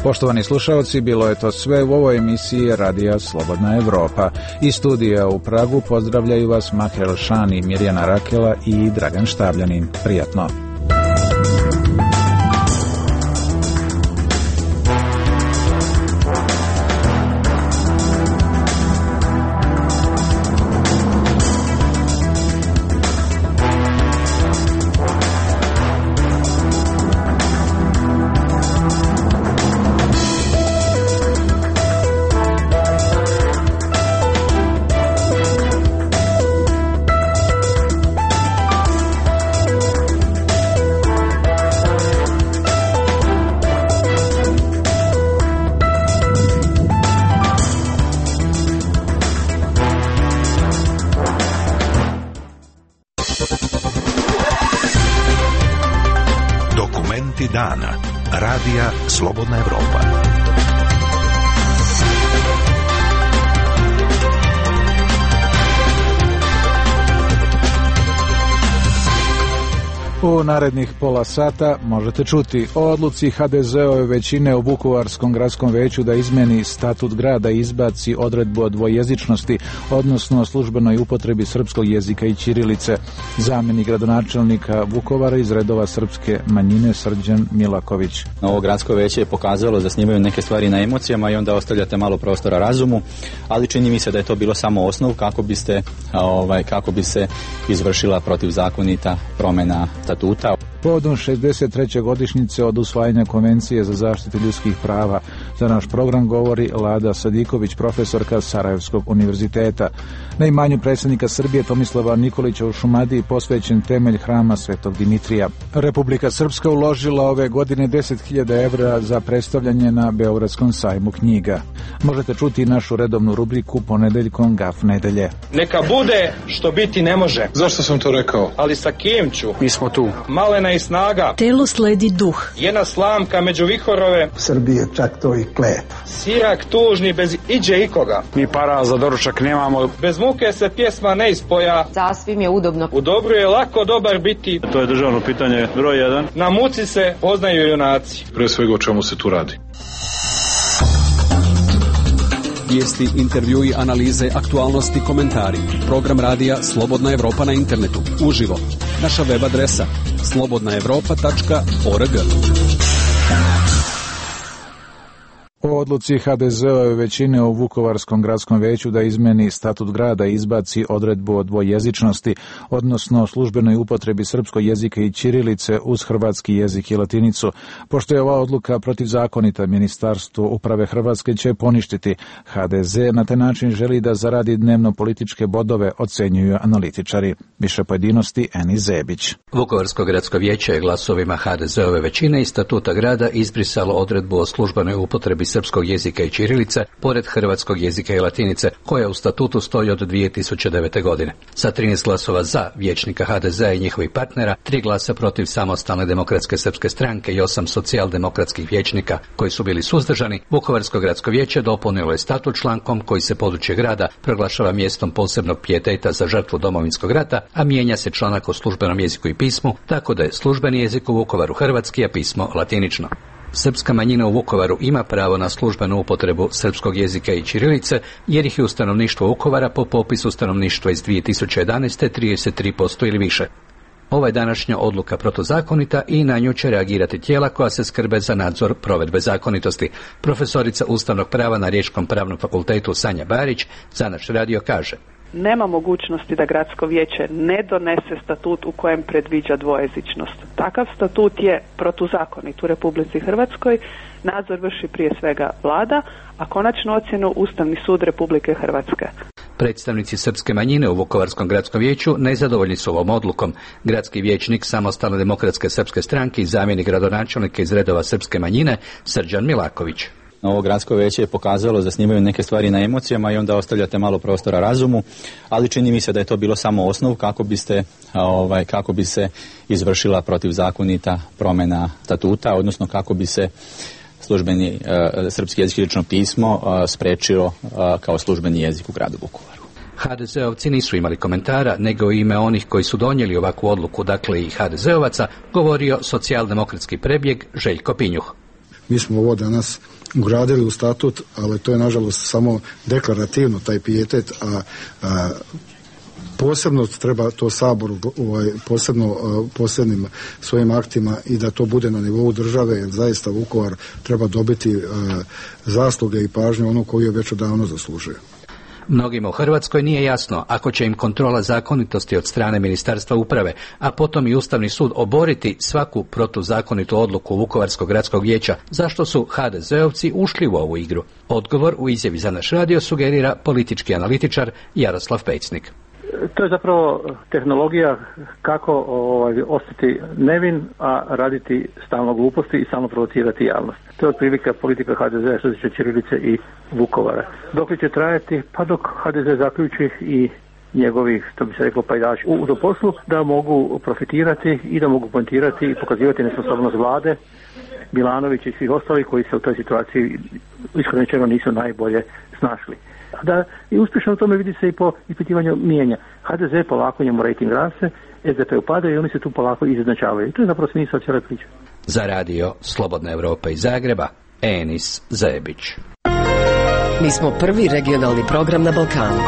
Poštovani slušalci, bilo je to sve u ovoj emisiji Radija Slobodna Evropa. Iz studija u Pragu pozdravljaju vas Maher El-Shani, Mirjana Rakela i Dragan Štabljanin. Prijatno. Vesti dana. Radija Slobodna Evropa. U narednih pola sata možete čuti o odluci ha de ze-ove većine u Vukovarskom gradskom veću da izmeni statut grada i izbaci odredbu o dvojezičnosti, odnosno o službenoj upotrebi srpskog jezika i ćirilice. Zamjenik gradonačelnika Vukovara iz redova srpske manjine Srđan Milaković. Ovo gradsko veće je pokazalo da snimaju neke stvari na emocijama i onda ostavljate malo prostora razumu, ali čini mi se da je to bilo samo osnov kako biste, ovaj, kako bi se izvršila protivzakonita promjena statuta. Povodom šezdeset treće godišnjice od usvajanja Konvencije za zaštitu ljudskih prava za naš program govori Lada Sadiković, profesorka Sarajevskog univerziteta. Na imanju predsjednika Srbije Tomislava Nikolića u Šumadiji posvećen temelj hrama Svetog Dimitrija. Republika Srpska uložila ove godine deset hiljada evra za predstavljanje na Beogradskom sajmu knjiga. Možete čuti našu redovnu rubriku ponedeljkom Gaf nedelje. Neka bude što biti ne može. Zašto sam to rekao? Ali sa kim ću? Mi smo tu. Malena i snaga. Telo sledi duh. Jedna slamka među vihorove. Srbije čak to i klet. Sirak tužni bez iđe ikoga. Mi para za doručak nemamo. Bez muke se pjesma ne ispoja. Sasvim je udobno. U dobru je lako dobar biti. To je državno pitanje broj jedan. Na muci se poznaju junaci. Pre svega o čemu se tu radi. Vijesti, intervjui, analize, aktualnosti, komentari. Program radija Slobodna Evropa na internetu. Uživo. Naša web adresa slobodna evropa tačka org. O odluci ha de ze-ove većine u Vukovarskom gradskom veću da izmeni statut grada i izbaci odredbu o dvojezičnosti, odnosno o službenoj upotrebi srpskog jezika i ćirilice uz hrvatski jezik i latinicu. Pošto je ova odluka protivzakonita, Ministarstvo uprave Hrvatske će poništiti. ha de ze na taj način želi da zaradi dnevno političke bodove, ocenjuju analitičari. Više pojedinosti Eni Zebić. Vukovarsko gradsko vijeće je glasovima ha de ze-ove većine iz statuta grada izbrisalo odredbu o službenoj upotrebi srpskog jezika i ćirilice, pored hrvatskog jezika i latinice, koja u statutu stoji od dvije tisuće devete. godine. Sa trinaest glasova za vijećnika ha de ze i njihovih partnera, tri glasa protiv Samostalne demokratske srpske stranke i osam socijaldemokratskih vijećnika koji su bili suzdržani, Vukovarsko gradsko vijeće dopunilo je statut člankom koji se područje grada proglašava mjestom posebnog pijeteta za žrtvu Domovinskog rata, a mijenja se članak o službenom jeziku i pismu, tako da je službeni jezik u Vukovaru hrvatski, a pismo latinično. Srpska manjina u Vukovaru ima pravo na službenu upotrebu srpskog jezika i ćirilice, jer ih je u stanovništvu Vukovara po popisu stanovništva iz dvije tisuće jedanaeste. trideset tri posto ili više. Ova je današnja odluka protuzakonita i na nju će reagirati tijela koja se skrbe za nadzor provedbe zakonitosti. Profesorica ustavnog prava na Riječkom pravnom fakultetu Sanja Barić za naš radio kaže: nema mogućnosti da gradsko vijeće ne donese statut u kojem predviđa dvojezičnost. Takav statut je protuzakonit u Republici Hrvatskoj, nadzor vrši prije svega vlada, a konačnu ocjenu Ustavni sud Republike Hrvatske. Predstavnici srpske manjine u Vukovarskom gradskom vijeću nezadovoljni su ovom odlukom. Gradski vijećnik Samostalne demokratske srpske stranke i zamjenik gradonačelnika iz redova srpske manjine Srđan Milaković. Ovo gradsko veće je pokazalo da snimaju neke stvari na emocijama i onda ostavljate malo prostora razumu, ali čini mi se da je to bilo samo osnov kako biste, ovaj, kako bi se izvršila protivzakonita promjena statuta, odnosno kako bi se službeni uh, srpski jezik i lično pismo uh, sprečilo uh, kao službeni jezik u gradu Vukovaru. ha de ze-ovci nisu imali komentara, nego u ime onih koji su donijeli ovakvu odluku, dakle i ha de ze-ovaca, govorio socijaldemokratski prebjeg Željko Pinjuh. Mi smo ovo danas ugradili u statut, ali to je nažalost samo deklarativno taj pijetet, a, a posebno treba to Saboru ovaj, posebno posebnim svojim aktima i da to bude na nivou države, jer zaista Vukovar treba dobiti a, zasluge i pažnju ono koju je već odavno zaslužio. Mnogima u Hrvatskoj nije jasno ako će im kontrola zakonitosti od strane Ministarstva uprave, a potom i Ustavni sud oboriti svaku protuzakonitu odluku Vukovarskog gradskog vijeća, zašto su ha de ze-ovci ušli u ovu igru. Odgovor u izjavi za naš radio sugerira politički analitičar Jaroslav Pecnik. To je zapravo tehnologija kako ovaj, ostati nevin, a raditi stalno gluposti i stalno provocirati javnost. To je otprilike politika ha de ze što se tiče ćirilice i Vukovara. Dok li će trajati? Pa dok ha de ze zaključi i njegovih, što bi se reklo, pajdaši u do poslu, da mogu profitirati i da mogu poentirati i pokazivati nesposobnost vlade, Milanovića i svih ostalih koji se u toj situaciji iskreno rečeno nisu najbolje snašli. Da je uspješno u tome vidi se i po ispitivanju mijenja. ha de ze polako njemu rejting raste, es de pe upada i oni se tu polako izjednačavaju. I to je zapravo smisao cijele priče. Za radio Slobodna Evropa iz Zagreba, Enis Zajebić. Mi smo prvi regionalni program na Balkanu.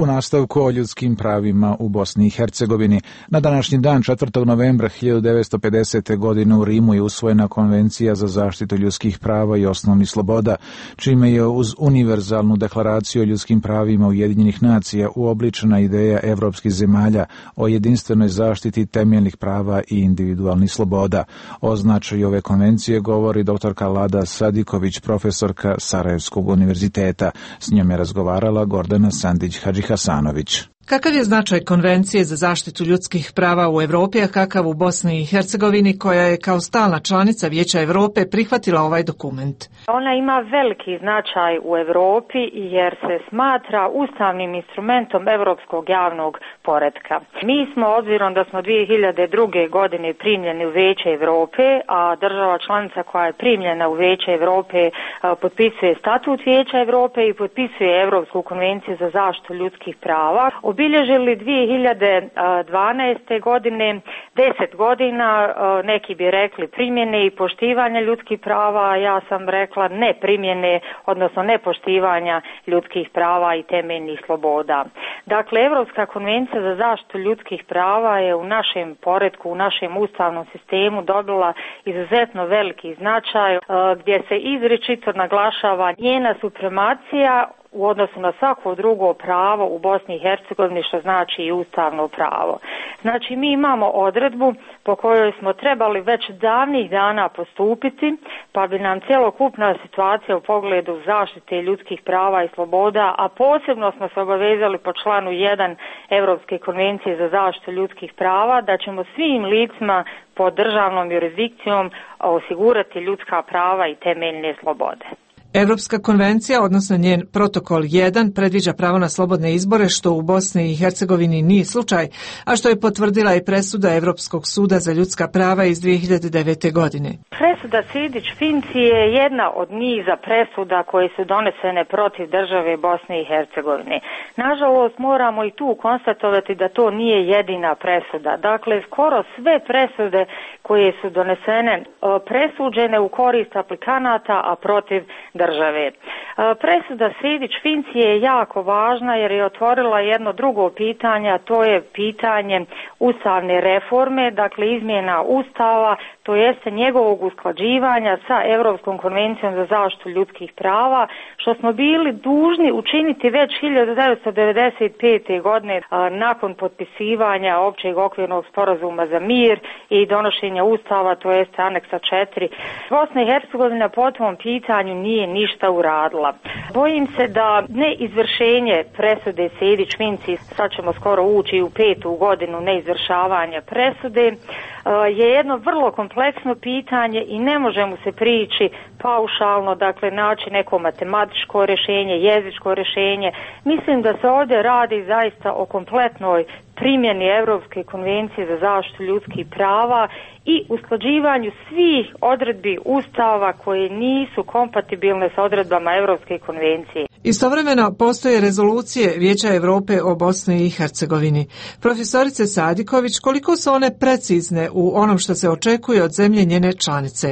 U nastavku o ljudskim pravima u Bosni i Hercegovini. Na današnji dan, četvrtog novembra hiljadu devetsto pedesete. godine u Rimu je usvojena Konvencija za zaštitu ljudskih prava i osnovnih sloboda, čime je uz univerzalnu deklaraciju o ljudskim pravima Ujedinjenih nacija uobličena ideja evropskih zemalja o jedinstvenoj zaštiti temeljnih prava i individualnih sloboda. O značaju ove konvencije govori doktorka Lada Sadiković, profesorka Sarajevskog univerziteta. S njom je razgovarala Gordana Sandić-Hadži Hasanović. Kakav je značaj Konvencije za zaštitu ljudskih prava u Europi, a kakav u Bosni i Hercegovini, koja je kao stalna članica Vijeća Europe prihvatila ovaj dokument? Ona ima veliki značaj u Europi jer se smatra ustavnim instrumentom europskog javnog poretka. Mi smo, obzirom da smo dvije hiljade druge. godine primljeni u Vijeće Europe, a država članica koja je primljena u Vijeće Europe potpisuje statut Vijeća Europe i potpisuje Europsku konvenciju za zaštitu ljudskih prava, obilježili dvije hiljade dvanaeste. godine deset godina, neki bi rekli primjene i poštivanja ljudskih prava, a ja sam rekla ne primjene, odnosno ne poštivanja ljudskih prava i temeljnih sloboda. Dakle, Europska konvencija za zaštitu ljudskih prava je u našem poretku, u našem ustavnom sistemu dobila izuzetno veliki značaj, gdje se izričito naglašava njena supremacija u odnosu na svako drugo pravo u Bosni i Hercegovini, što znači i ustavno pravo. Znači, mi imamo odredbu po kojoj smo trebali već davnih dana postupiti, pa bi nam cjelokupna situacija u pogledu zaštite ljudskih prava i sloboda, a posebno smo se obavezali po članu jedan Europske konvencije za zaštitu ljudskih prava, da ćemo svim licima pod državnom jurisdikcijom osigurati ljudska prava i temeljne slobode. Europska konvencija, odnosno njen protokol jedan, predviđa pravo na slobodne izbore, što u Bosni i Hercegovini nije slučaj, a što je potvrdila i presuda Europskog suda za ljudska prava iz dvije hiljade devete. godine. Presuda Sidić-Finci je jedna od niza presuda koje su donesene protiv države Bosne i Hercegovine. Nažalost, moramo i tu konstatovati da to nije jedina presuda. Dakle, skoro sve presude koje su donesene presuđene u korist aplikanata, a protiv države. Presuda Sidić-Finci je jako važna jer je otvorila jedno drugo pitanje, a to je pitanje ustavne reforme, dakle izmjena ustava, to jeste njegovog usklađivanja sa Europskom konvencijom za zaštitu ljudskih prava, što smo bili dužni učiniti već hiljadu devetsto devedeset pete. godine nakon potpisivanja općeg okvirnog sporazuma za mir i donošenja ustava, to jeste aneksa četiri. Bosna i Hercegovina po tom pitanju nije ništa uradila. Bojim se da neizvršenje presude Sidić-Finci, sad ćemo skoro ući u petu godinu neizvršavanja presude, je jedno vrlo kompleksno pitanje i ne može mu se prići paušalno, dakle naći neko matematičko rješenje, jezičko rješenje. Mislim da se ovdje radi zaista o kompletnoj primjeni Europske konvencije za zaštitu ljudskih prava i usklađivanju svih odredbi ustava koje nisu kompatibilne sa odredbama Europske konvencije. Istovremeno postoje rezolucije Vijeća Europe o Bosni i Hercegovini. Profesorice Sadiković, koliko su one precizne u onom što se očekuje od zemlje njene članice?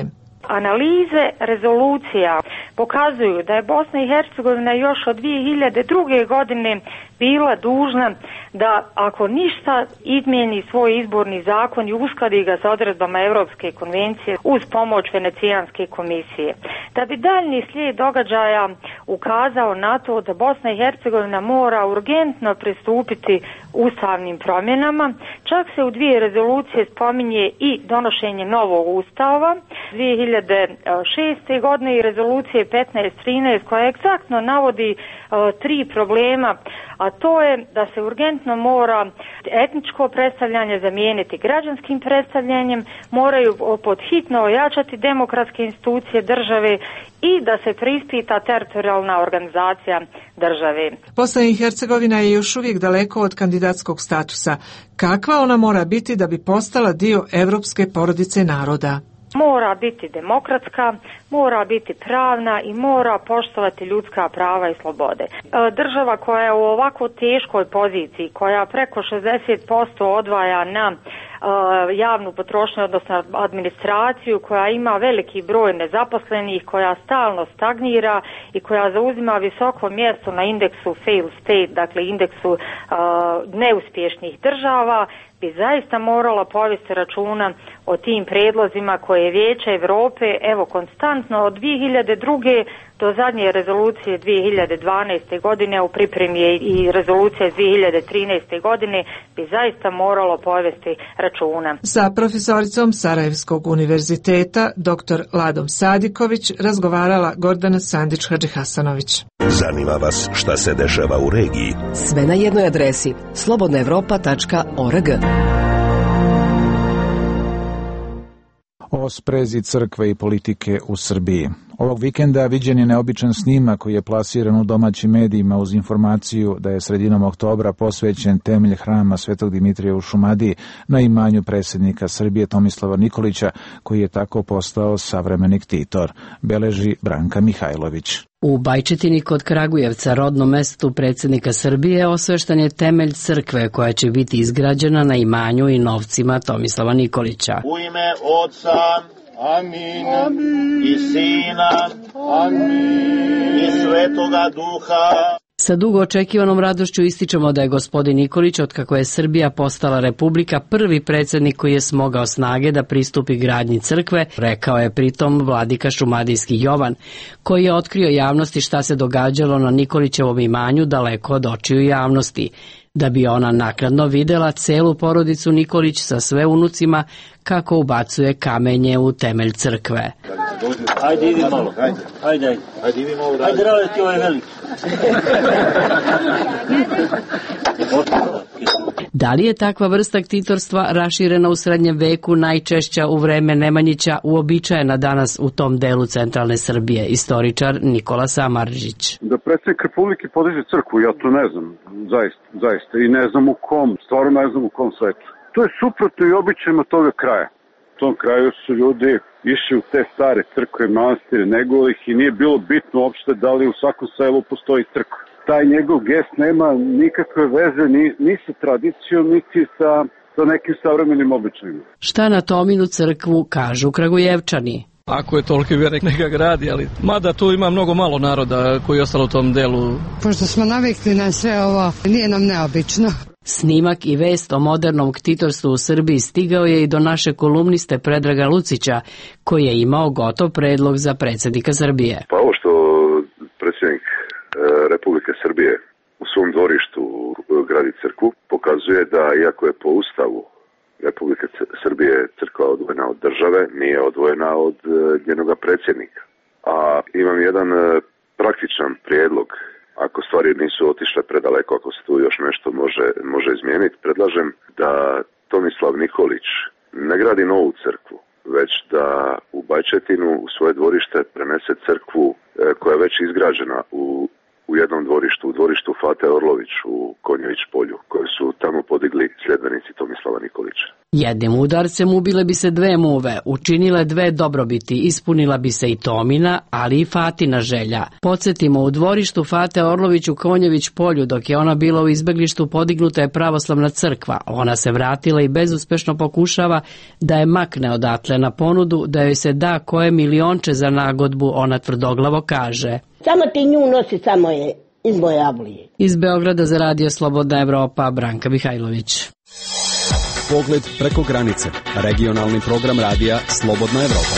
Analize rezolucija pokazuju da je Bosna i Hercegovina još od dvije hiljade druge. godine bila dužna da ako ništa izmijeni svoj izborni zakon i uskladi ga sa odredbama Europske konvencije uz pomoć Venecijanske komisije. Da bi daljnji slijed događaja ukazao na to da Bosna i Hercegovina mora urgentno pristupiti ustavnim promjenama, čak se u dvije rezolucije spominje i donošenje novog ustava dvije hiljade šeste. godine i rezolucije petnaest trinaest koja egzaktno navodi uh, tri problema, a a to je da se urgentno mora etničko predstavljanje zamijeniti građanskim predstavljanjem, moraju pod hitno ojačati demokratske institucije države i da se preispita teritorijalna organizacija države. Bosna i Hercegovina je još uvijek daleko od kandidatskog statusa. Kakva ona mora biti da bi postala dio evropske porodice naroda? Mora biti demokratska, mora biti pravna i mora poštovati ljudska prava i slobode. Država koja je u ovako teškoj poziciji, koja preko šezdeset posto odvaja na javnu potrošnju, odnosno administraciju, koja ima veliki broj nezaposlenih, koja stalno stagnira i koja zauzima visoko mjesto na indeksu fail state, dakle indeksu uh, neuspješnih država, bi zaista morala povesti računa o tim predlozima koje je Vijeće Europe, evo, konstantno od dvije hiljade druge do zadnje rezolucije dvije hiljade dvanaeste godine, u pripremi je i rezolucija dvije hiljade trinaeste godine, bi zaista moralo povesti računa. Sa profesoricom Sarajevskog univerziteta, doktor Ladom Sadiković, razgovarala Gordana Sandić-Hadžihasanović. Zanima vas šta se dešava u regiji? Sve na jednoj adresi slobodna evropa tačka org. O sprezi crkve i politike u Srbiji. Ovog vikenda viđen je neobičan snimak koji je plasiran u domaćim medijima uz informaciju da je sredinom oktobra posvećen temelj hrama Svetog Dimitrija u Šumadiji na imanju predsjednika Srbije Tomislava Nikolića, koji je tako postao savremeni ktitor, beleži Branka Mihajlović. U Bajčetini kod Kragujevca, rodnom mestu predsjednika Srbije, osveštan je temelj crkve koja će biti izgrađena na imanju i novcima Tomislava Nikolića. U ime Otca, amin, amin. I Sina, amin. I Svetoga Duha. Sa dugo očekivanom radošću ističemo da je gospodin Nikolić, otkako je Srbija postala republika, prvi predsjednik koji je smogao snage da pristupi gradnji crkve, rekao je pritom vladika šumadijski Jovan, koji je otkrio javnosti šta se događalo na Nikolićevom imanju daleko od očiju javnosti, da bi ona naknadno videla celu porodicu Nikolić sa sve unucima kako ubacuje kamenje u temelj crkve. Ajde, idi malo, ajde, ajde, ajde, ajde, idi malo, ajde, rade ti ovaj velik. Da li je takva vrsta ktitorstva raširena u srednjem veku, najčešća u vreme Nemanjića, uobičajena danas u tom delu centralne Srbije? Istoričar Nikola Samaržić. Da predsjednik Republike podiže crkvu, ja to ne znam, zaista, zaista, i ne znam u kom, stvarno ne znam u kom svetu. To je suprotno i običajima toga kraja. U tom kraju su ljudi išli u te stare crkve, manastire, nego ih i nije bilo bitno uopšte da li u svakom selu postoji crkva. Taj njegov gest nema nikakve veze ni, ni sa tradicijom, niti sa, sa nekim savremenim običajima. Šta na Tominu crkvu kažu Kragujevčani? Ako je toliki vjernik, neka gradi, ali mada tu ima mnogo malo naroda koji je ostalo u tom delu. Pošto smo navikli na sve ovo, nije nam neobično. Snimak i vest o modernom ktitorstvu u Srbiji stigao je i do naše kolumniste Predraga Lucića, koji je imao gotov predlog za predsjednika Srbije. Pa ovo što predsjednik Republike Srbije u svom dvorištu gradi crkvu, pokazuje da iako je po ustavu Republike Srbije crkva odvojena od države, nije odvojena od njenoga predsjednika. A imam jedan praktičan prijedlog. Ako stvari nisu otišle predaleko, ako se tu još nešto može, može izmijeniti, predlažem da Tomislav Nikolić ne gradi novu crkvu, već da u Bajčetinu u svoje dvorište prenese crkvu koja je već izgrađena u, u jednom dvorištu, u dvorištu Fate Orlović u Konjević polju, koje su tamo podigli sljedbenici Tomislava Nikolića. Jednim udarcem ubile bi se dve muve, učinile dve dobrobiti, ispunila bi se i Tomina, ali i Fatina želja. Podsjetimo, u dvorištu Fate Orlović u Konjević polju, dok je ona bila u izbeglištu, podignuta je pravoslavna crkva. Ona se vratila i bezuspešno pokušava da je makne odatle na ponudu, da joj se da koje milionče za nagodbu, ona tvrdoglavo kaže. Samo ti nju nosi, samo je iz moje Avlije. Iz Beograda za radio Slobodna Evropa, Branka Mihajlović. Pogled preko granice. Regionalni program radija Slobodna Evropa.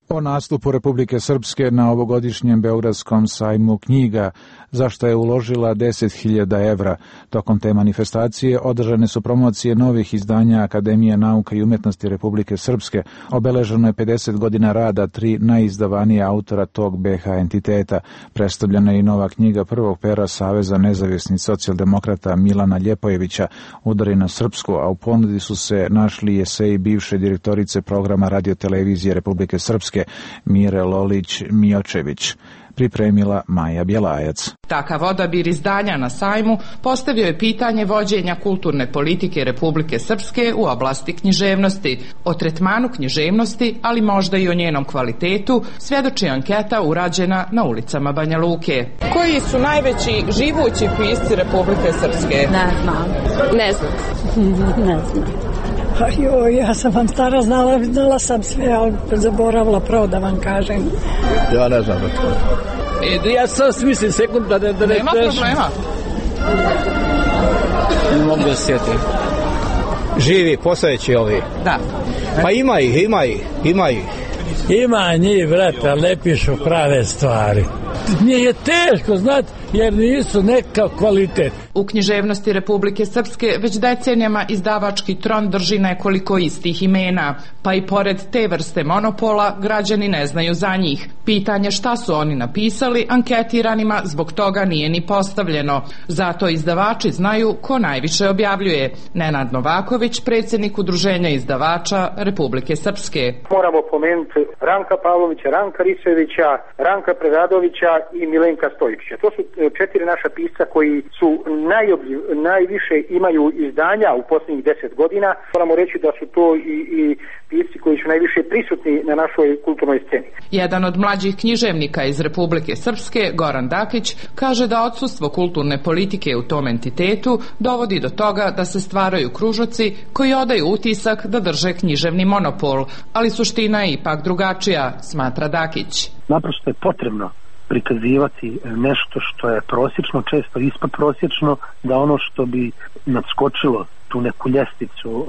O nastupu Republike Srpske na ovogodišnjem Beogradskom sajmu knjiga, za što je uložila deset hiljada evra. Tokom te manifestacije održane su promocije novih izdanja Akademije nauka i umetnosti Republike Srpske. Obeleženo je pedeset godina rada tri najizdavanije autora tog be ha entiteta. Predstavljena je i nova knjiga prvog pera Saveza nezavisnih socijaldemokrata Milana Ljepojevića, Udari na srpsku, a u ponudi su se našli eseji bivše direktorice programa radiotelevizije Republike Srpske Mire Lolić-Miočević. Pripremila Maja Bjelajac. Takav odabir izdanja na sajmu postavio je pitanje vođenja kulturne politike Republike Srpske u oblasti književnosti. O tretmanu književnosti, ali možda i o njenom kvalitetu, svjedoči anketa urađena na ulicama Banja Luke. Koji su najveći živući pisci Republike Srpske? Ne znam. Ne znam. Ne znam. Joj, ja sam vam stara, znala, znala sam sve, ali zaboravila pravo da vam kažem. Ja ne znam. E, ja sam smislim sekund da ne... Da ne Nema teš... problema. Ne mogu da se sjetim. Živi, postojeći ovi. Da. Pa ima ih, ima ih, ima ih. Ima njih, brate, ali ne pišu prave stvari. Nije je teško, znati, jer nisu neka kvalitet. U književnosti Republike Srpske već decenijama izdavački tron drži nekoliko istih imena, pa i pored te vrste monopola građani ne znaju za njih. Pitanje šta su oni napisali anketiranima zbog toga nije ni postavljeno. Zato izdavači znaju ko najviše objavljuje. Nenad Novaković, predsjednik Udruženja izdavača Republike Srpske. Moramo pomenuti Ranka Pavlovića, Ranka Risevića, Ranka Preradovića i Milenka Stojičića. To su četiri naša pisca koji su najobljiv, najviše imaju izdanja u posljednjih deset godina. Moramo reći da su to i, i pisci koji su najviše prisutni na našoj kulturnoj sceni. Jedan od mlađih književnika iz Republike Srpske, Goran Dakić, kaže da odsustvo kulturne politike u tom entitetu dovodi do toga da se stvaraju kružoci koji odaju utisak da drže književni monopol, ali suština je ipak drugačija, smatra Dakić. Naprosto je potrebno prikazivati nešto što je prosječno, često ispod prosječno, da ono što bi nadskočilo tu neku ljestvicu uh,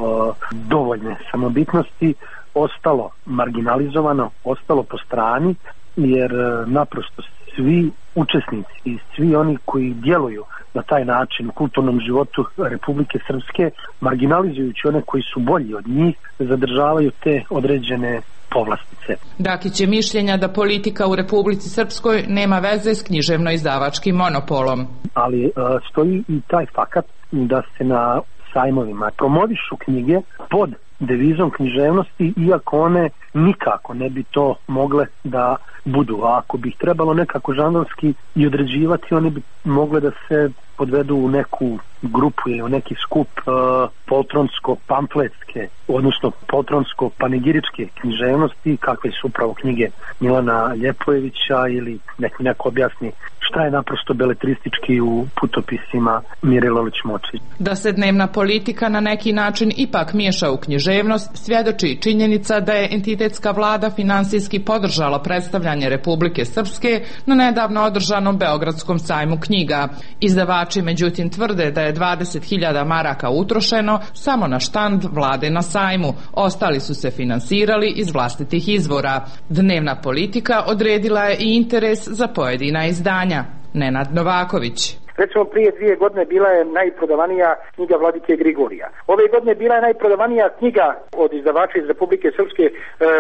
dovoljne samobitnosti ostalo marginalizovano, ostalo po strani, jer uh, naprosto svi učesnici i svi oni koji djeluju na taj način u kulturnom životu Republike Srpske, marginalizujući one koji su bolji od njih, zadržavaju te određene povlastice. Dakić je mišljenja da politika u Republici Srpskoj nema veze s književno-izdavačkim monopolom. Ali uh, stoji i taj fakat da se na sajmovima promovišu knjige pod devizom književnosti, iako one nikako ne bi to mogle da budu. A ako bi ih trebalo nekako žanrovski i određivati, one bi mogle da se podvedu u neku grupu ili u neki skup uh, poltronsko-pamfletske, odnosno poltronsko-panegiričke književnosti, kakve su upravo knjige Milana Ljepojevića, ili nek mi neko objasni šta je naprosto beletristički u putopisima Mire Lolić-Miočević. Da se dnevna politika na neki način ipak miješa u književnost, svjedoči činjenica da je entitetska vlada finansijski podržala predstavljanje Republike Srpske na nedavno održanom Beogradskom sajmu knjiga. Izdavači međutim tvrde da je dvadeset hiljada maraka utrošeno samo na štand vlade na sajmu. Ostali su se finansirali iz vlastitih izvora. Dnevna politika odredila je i interes za pojedina izdanja. Nenad Novaković. Recimo prije dvije godine bila je najprodavanija knjiga Vladike Grigorija. Ove godine bila je najprodavanija knjiga od izdavača iz Republike Srpske, e,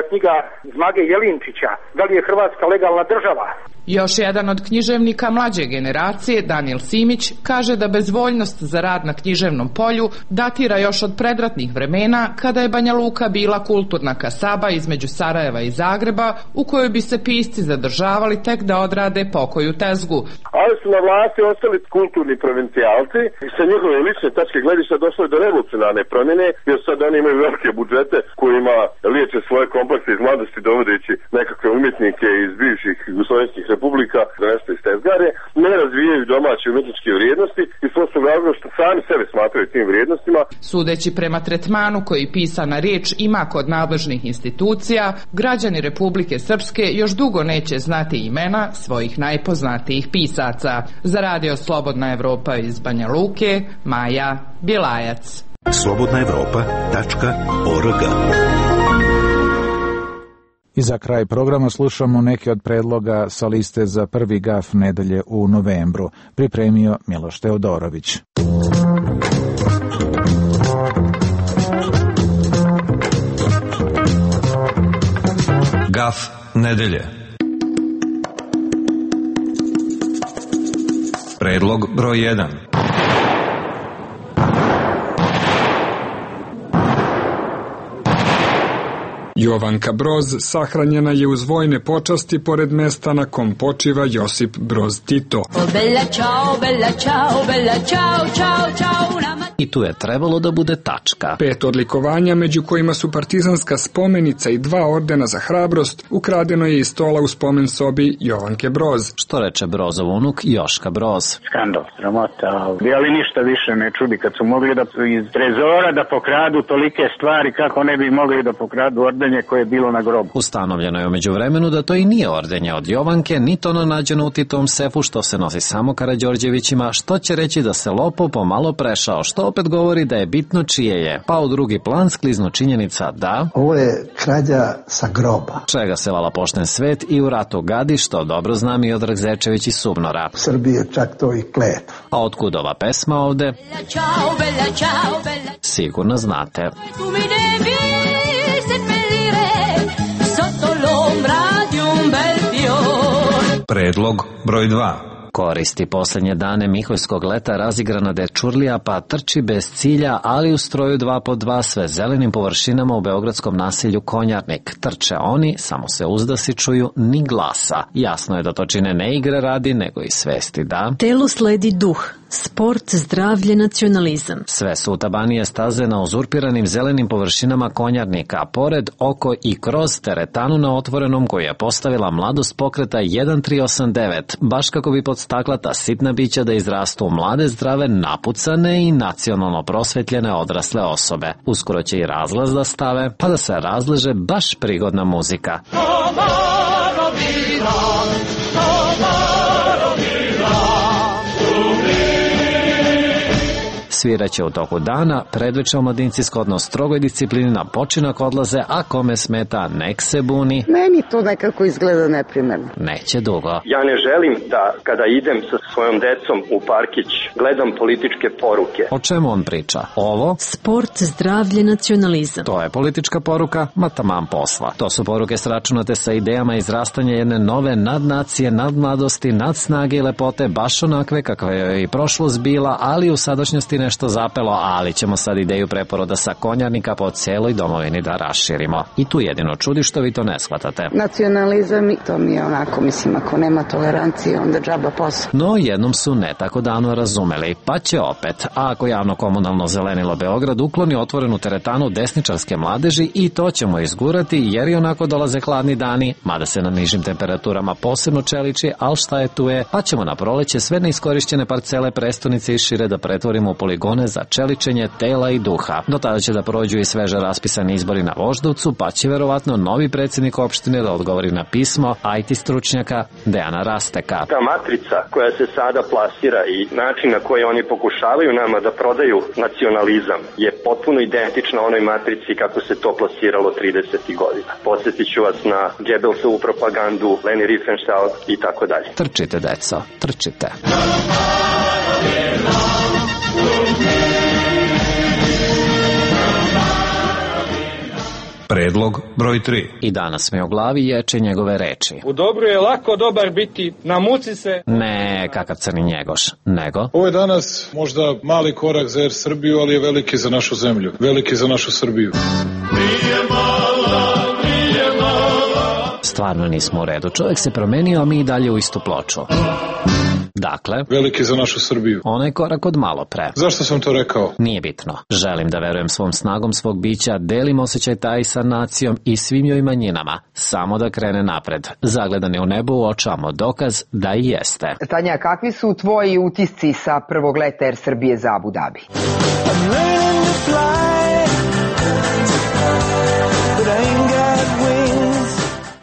knjiga Zmage Jelinčića. Da li je Hrvatska legalna država? Još jedan od književnika mlađe generacije, Daniel Simić, kaže da bezvoljnost za rad na književnom polju datira još od predratnih vremena, kada je Banja Luka bila kulturna kasaba između Sarajeva i Zagreba, u kojoj bi se pisci zadržavali tek da odrade pokoju tezgu. Ali su na vlasti ostali kulturni provincijalci i sa njihove lične tačke gledišta došlo je do revolucionarne promjene, jer sad oni imaju velike budžete kojima liječe svoje komplekse iz mladosti dovodeći nekakve umjetnike iz bivših jugoslovenskih republika da nešto iz tezgare, ne razvijaju domaće umjetničke vrijednosti i svojstvo razloga što sami sebe smatraju tim vrijednostima. Sudeći prema tretmanu koji pisana riječ ima kod nadležnih institucija, građani Republike Srpske još dugo neće znati imena svojih najpoznatijih pisaca. Za radio Slobodna Evropa iz Banja Luke, Maja Bjelajac. slobodna evropa tačka org I za kraj programa slušamo neke od predloga sa liste za prvi gaf nedelje u novembru. Pripremio Miloš Teodorović. Gaf nedelje. Predlog broj jedan. Jovanka Broz sahranjena je uz vojne počasti pored mesta na kom počiva Josip Broz Tito. I tu je trebalo da bude tačka. Pet odlikovanja, među kojima su partizanska spomenica i dva ordena za hrabrost, ukradeno je iz stola u spomen sobi Jovanke Broz. Što reče Brozov unuk Joška Broz. Skandal, sramota, ali ništa više ne čudi kad su mogli da iz trezora da pokradu tolike stvari, kako ne bi mogli da pokradu ordenje koje je bilo na grobu. Ustanovljeno je umeđu vremenu da to i nije ordenje od Jovanke, niti ono nađeno u Titovom sefu što se nosi samo Karađorđevićima, što će reći da se lopov pomalo prešao, što opet govori da je bitno čije je. Pa u drugi plan skliznu činjenica da... Ovo je krađa sa groba. Čega se vala pošten svet i u ratu gadi, što dobro zna Miodrag Zečević iz Subnora. U Srbiji je čak to i kletva. A otkud ova pesma ovde? Sigurno znate. Predlog broj dva. Koristi posljednje dane Miholjskog leta razigrana dečurlija pa trči bez cilja, ali u stroju dva po dva sve zelenim površinama u beogradskom naselju Konjarnik. Trče oni, samo se uzdasi čuju ni glasa. Jasno je da to čine ne igre radi, nego i svesti da... Telo sledi duh, sport, zdravlje, nacionalizam. Sve su utabanije staze na uzurpiranim zelenim površinama Konjarnika, pored, oko i kroz teretanu na otvorenom koju je postavila mladost pokreta jedan tri osam devet, baš kako bi podstakla ta sitna bića da izrastu u mlade, zdrave, napucane i nacionalno prosvetljene odrasle osobe. Uskoro će i razlaz da stave, pa da se razleže baš prigodna muzika. Sviraće u toku dana, predveče omladinci shodno strogoj disciplini na počinak odlaze, a kome smeta nek se buni. Meni to nekako izgleda neprimerno. Neće dugo. Ja ne želim da kada idem sa svojom decom u parkić gledam političke poruke. O čemu on priča? Ovo? Sport, zdravlje, nacionalizam. To je politička poruka, ma taman posla. To su poruke sračunate sa idejama izrastanja jedne nove nadnacije, nadmladosti, nadsnage i lepote, baš onakve kakva je i prošlost bila, ali u sadašnjosti nešto zapelo, ali ćemo sad ideju preporoda sa Konjarnika po celoj domovini da raširimo. I tu jedino čudi što vi to ne shvatate. Nacionalizam, to mi je onako, mislim, ako nema tolerancije, onda džaba posao. No, jednom su ne tako davno razumeli, pa će opet. A ako javno-komunalno zelenilo Beograd ukloni otvorenu teretanu desničarske mladeži, i to ćemo izgurati, jer i onako dolaze hladni dani, mada se na nižim temperaturama posebno čeliči, ali šta je tu je, pa ćemo na proleće sve neiskorišćene parcele prestonice i šire da pretvorimo u poligone za čeličenje tela i duha. Do tada će da prođu i sveže raspisani izbori na Voždovcu, pa će verovatno novi predsjednik opštine da odgovori na pismo I T stručnjaka Dejana Rasteka. Ta matrica koja se sada plasira i način na koji oni pokušavaju nama da prodaju nacionalizam je potpuno identična onoj matrici kako se to plasiralo tridesetih godina. Podsjetit ću vas na Goebbelsovu propagandu, Leni Riefenstahl i tako dalje. Trčite, deco, trčite. Predlog broj tri. I danas mi u glavi ječe njegove reči. U dobru je lako dobar biti, namuci se. Ne, kakav crni njegoš, nego. Ovo je danas možda mali korak za Er Srbiju, ali je veliki za našu zemlju, veliki za našu Srbiju. Nije mala, nije mala. Stvarno nismo u redu, čovjek se promenio, a mi i dalje u istu ploču. Dakle, veliki za našu Srbiju. Onaj korak od malo pre. Zašto sam to rekao? Nije bitno. Želim da verujem svom snagom svog bića, delim osjećaj taj sa nacijom i svim joj manjinama. Samo da krene napred. Zagledan je u nebo, uočavamo dokaz da i jeste. Tanja, kakvi su tvoji utisci sa prvog leta Er Srbije za Abu Dhabi?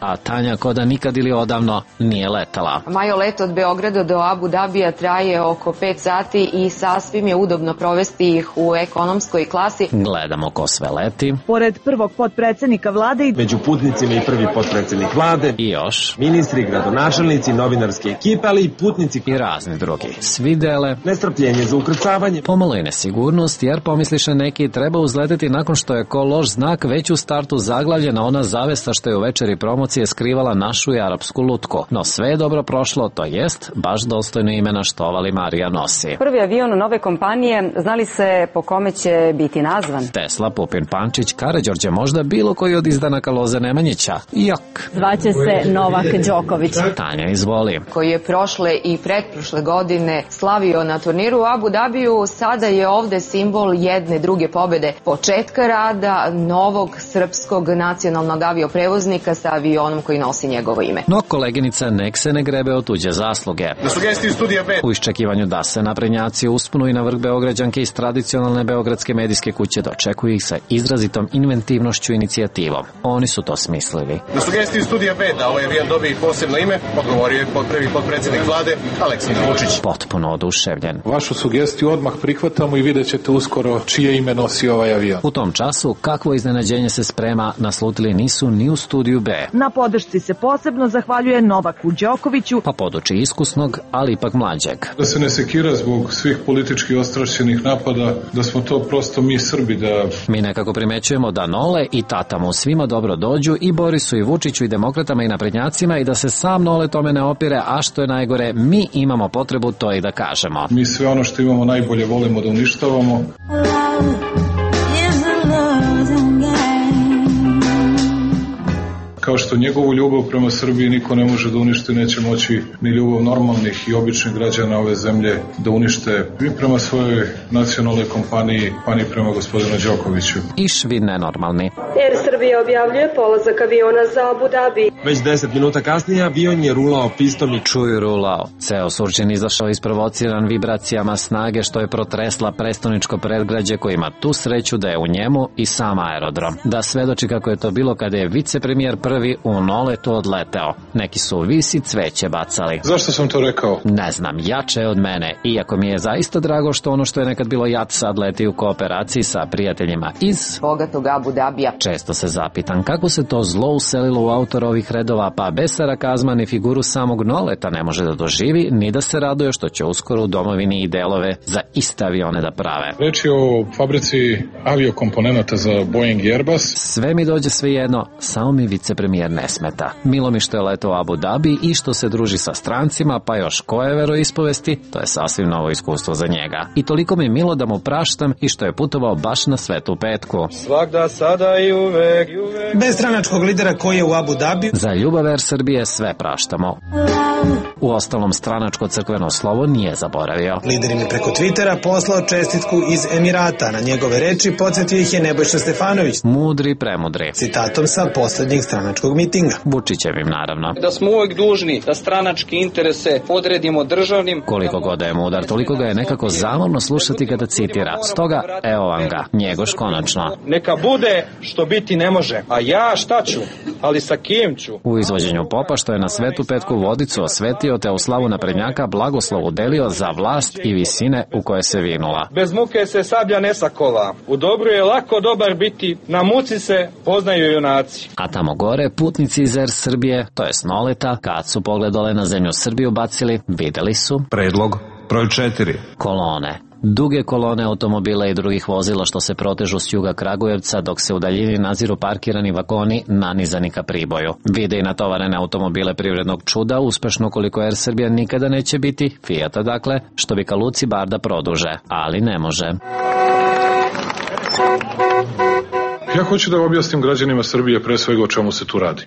A Tanja ko da nikad ili odavno nije letala. Majo, let od Beograda do Abu Dabija traje oko pet sati i sasvim je udobno provesti ih u ekonomskoj klasi. Gledamo ko sve leti. Pored prvog potpredsednika vlade, među putnicima i prvi potpredsednik vlade, i još ministri, gradonačelnici, novinarske ekipe, ali i putnici i razni drugi. Svi dele nestrpljenje za ukrcavanje, pomalo i nesigurnost, jer pomisliše neki treba uzleteti nakon što je ko loš znak već u startu zaglavljena ona zavesta što je u večeri promocije skrivala našu i arapsku lutku. No sve je dobro prošlo, to jest baš dostojno imena štovali Marija nosi. Prvi avion nove kompanije, znali se po kome će biti nazvan? Tesla, Pupin, Pančić, Karađorđe, možda bilo koji od izdanaka Loze Nemanjića. Jok. Zvaće se Novak Đoković. Tanja, izvoli. Koji je prošle i pretprošle godine slavio na turniru u Abu Dabiju, sada je ovde simbol jedne druge pobede. Početka rada novog srpskog nacionalnog avioprevoznika sa avionom koji nosi njegovo ime. No koleginica nek se ne grebe od tuđe zasluge. Na sugestiju studija B. U iščekivanju da se naprednjaci uspunu i na vrh Beograđanke iz tradicionalne beogradske medijske kuće dočekuju ih sa izrazitom inventivnošću i inicijativom. Oni su to smislili. Na sugestiju studija B da ovaj avion dobije posebno ime, odgovorio je prvi potpredsednik vlade Aleksandar Vučić. Potpuno oduševljen. Vašu sugestiju odmah prihvatamo i vidjet ćete uskoro čije ime nosi ovaj avion. U tom času kakvo iznenađenje se sprema naslutili nisu ni u studiju B. Na podršci se posebno zahvaljuje Novaku Đokoviću, pa poduči iskusnog, ali ipak mlađeg. Da se ne sekira zbog svih politički ostrašćenih napada, da smo to prosto mi Srbi, da... Mi nekako primećujemo da Nole i tata mu svima dobro dođu i Borisu i Vučiću i demokratama i naprednjacima i da se sam Nole tome ne opire, a što je najgore, mi imamo potrebu to i da kažemo. Mi sve ono što imamo najbolje volimo da uništavamo. Kao što njegovu ljubav prema Srbiji niko ne može da uništi, neće moći ni ljubav normalnih i običnih građana ove zemlje da unište i prema svojoj nacionalnoj kompaniji, pa ni prema gospodinu Đokoviću. I švi nenormalni. Air Srbija objavljuje polazak aviona za Abu Dhabi. Već deset minuta kasnije avion je rulao pistom i čuju rulao. Ceo Surčin izašao isprovociran vibracijama snage što je protresla prestoničko predgrađe koji ima tu sreću da je u njemu i sam aerodrom. Da svedoči kako je to bilo kada je vicepremijer prvi u Noletu odleteo. Neki su visi cveće bacali. Zašto sam to rekao? Ne znam, jače je od mene. Iako mi je zaista drago što ono što je nekad bilo jat sad leti u kooperaciji sa prijateljima iz bogatog Abu Dabija. Često se zapitam kako se to zlo uselilo u autora ovih redova, pa bez sarakazma ni figuru samog Noleta ne može da doživi, ni da se raduje što će uskoro u domovini i delove za iste avione da prave. Reč je o fabrici aviokomponenata za Boeing i Airbus. Sve mi dođe sve jedno, samo mi vicepremijer ne smeta. Milo mi što je letao u Abu Dhabi i što se druži sa strancima, pa još koje veroispovesti, to je sasvim novo iskustvo za njega. I toliko mi milo da mu praštam i što je putovao baš na Svetu petku. Svakda, sada i uvek, i uvek. Bez stranačkog lidera koji je u Abu Dhabi. Za ljubav Air Srbije sve praštamo. U ostalom stranačko crkveno slovo nije zaboravio. Lider im je preko Twittera poslao čestitku iz Emirata. Na njegove reči podsjetio ih je Nebojša Stefanović. Mudri, premudri. Citatom sa poslednjeg stranačkog mitinga. Vučićevim, naravno. Da smo uvek dužni da stranačke interese podredimo državnim. Koliko god da je mudar, toliko ga je nekako zamorno slušati kada citira. Stoga, evo vam ga, Njegoš konačno. Neka bude što biti ne može, a ja šta ću, ali sa kim ću? U izvođenju popa što je na Svetu petku vodicu osvetio te u slavu naprednjaka blagoslovu delio za vlast i visine u koje se vinula. Bez muke se sablja ne sakova. U dobru je lako dobar biti, na muci se poznaju junaci. A tamo gore putnici iz Air Srbije, to je Noleta, kad su pogledale na zemlju Srbiju bacili, videli su predlog broj četiri. Kolone. Duge kolone automobila i drugih vozila što se protežu s juga Kragujevca dok se u daljini naziru parkirani vagoni nanizani ka Priboju. Vide i natovarene automobile privrednog čuda, uspešno koliko Air Srbija nikada neće biti, Fijata dakle, što bi ka luci bar da produže, ali ne može. Ja hoću da objasnim građanima Srbije pre svega o čemu se tu radi.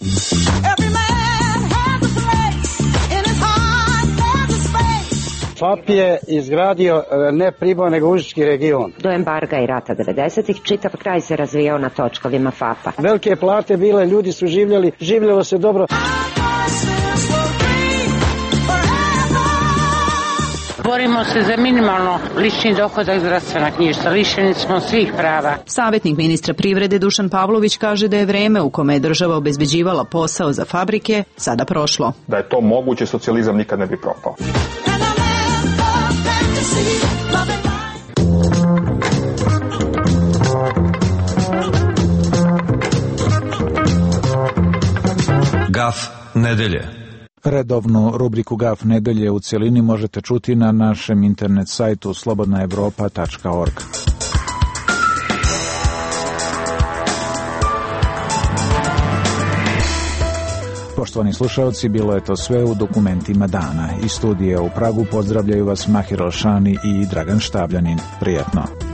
F A P je izgradio ne Priboj, nego Užički region. Do embarga i rata devedesetih čitav kraj se razvijao na točkovima F A P-a. Velike plate bile, ljudi su živjeli, življelo se dobro. borimo se za minimalno lični dohodak, zdravstvena knjižica. Lišeni smo svih prava. Savjetnik ministra privrede Dušan Pavlović kaže da je vreme u kome je država obezbeđivala posao za fabrike sada prošlo. Da je to moguće, socijalizam nikad ne bi propao. Gaf nedelje. Redovnu rubriku Gaf nedelje u cjelini možete čuti na našem internet sajtu slobodna evropa tačka org. Poštovani slušalci, bilo je to sve u dokumentima dana. Iz studija u Pragu pozdravljaju vas Mahir Alšani i Dragan Štavljanin. Prijatno.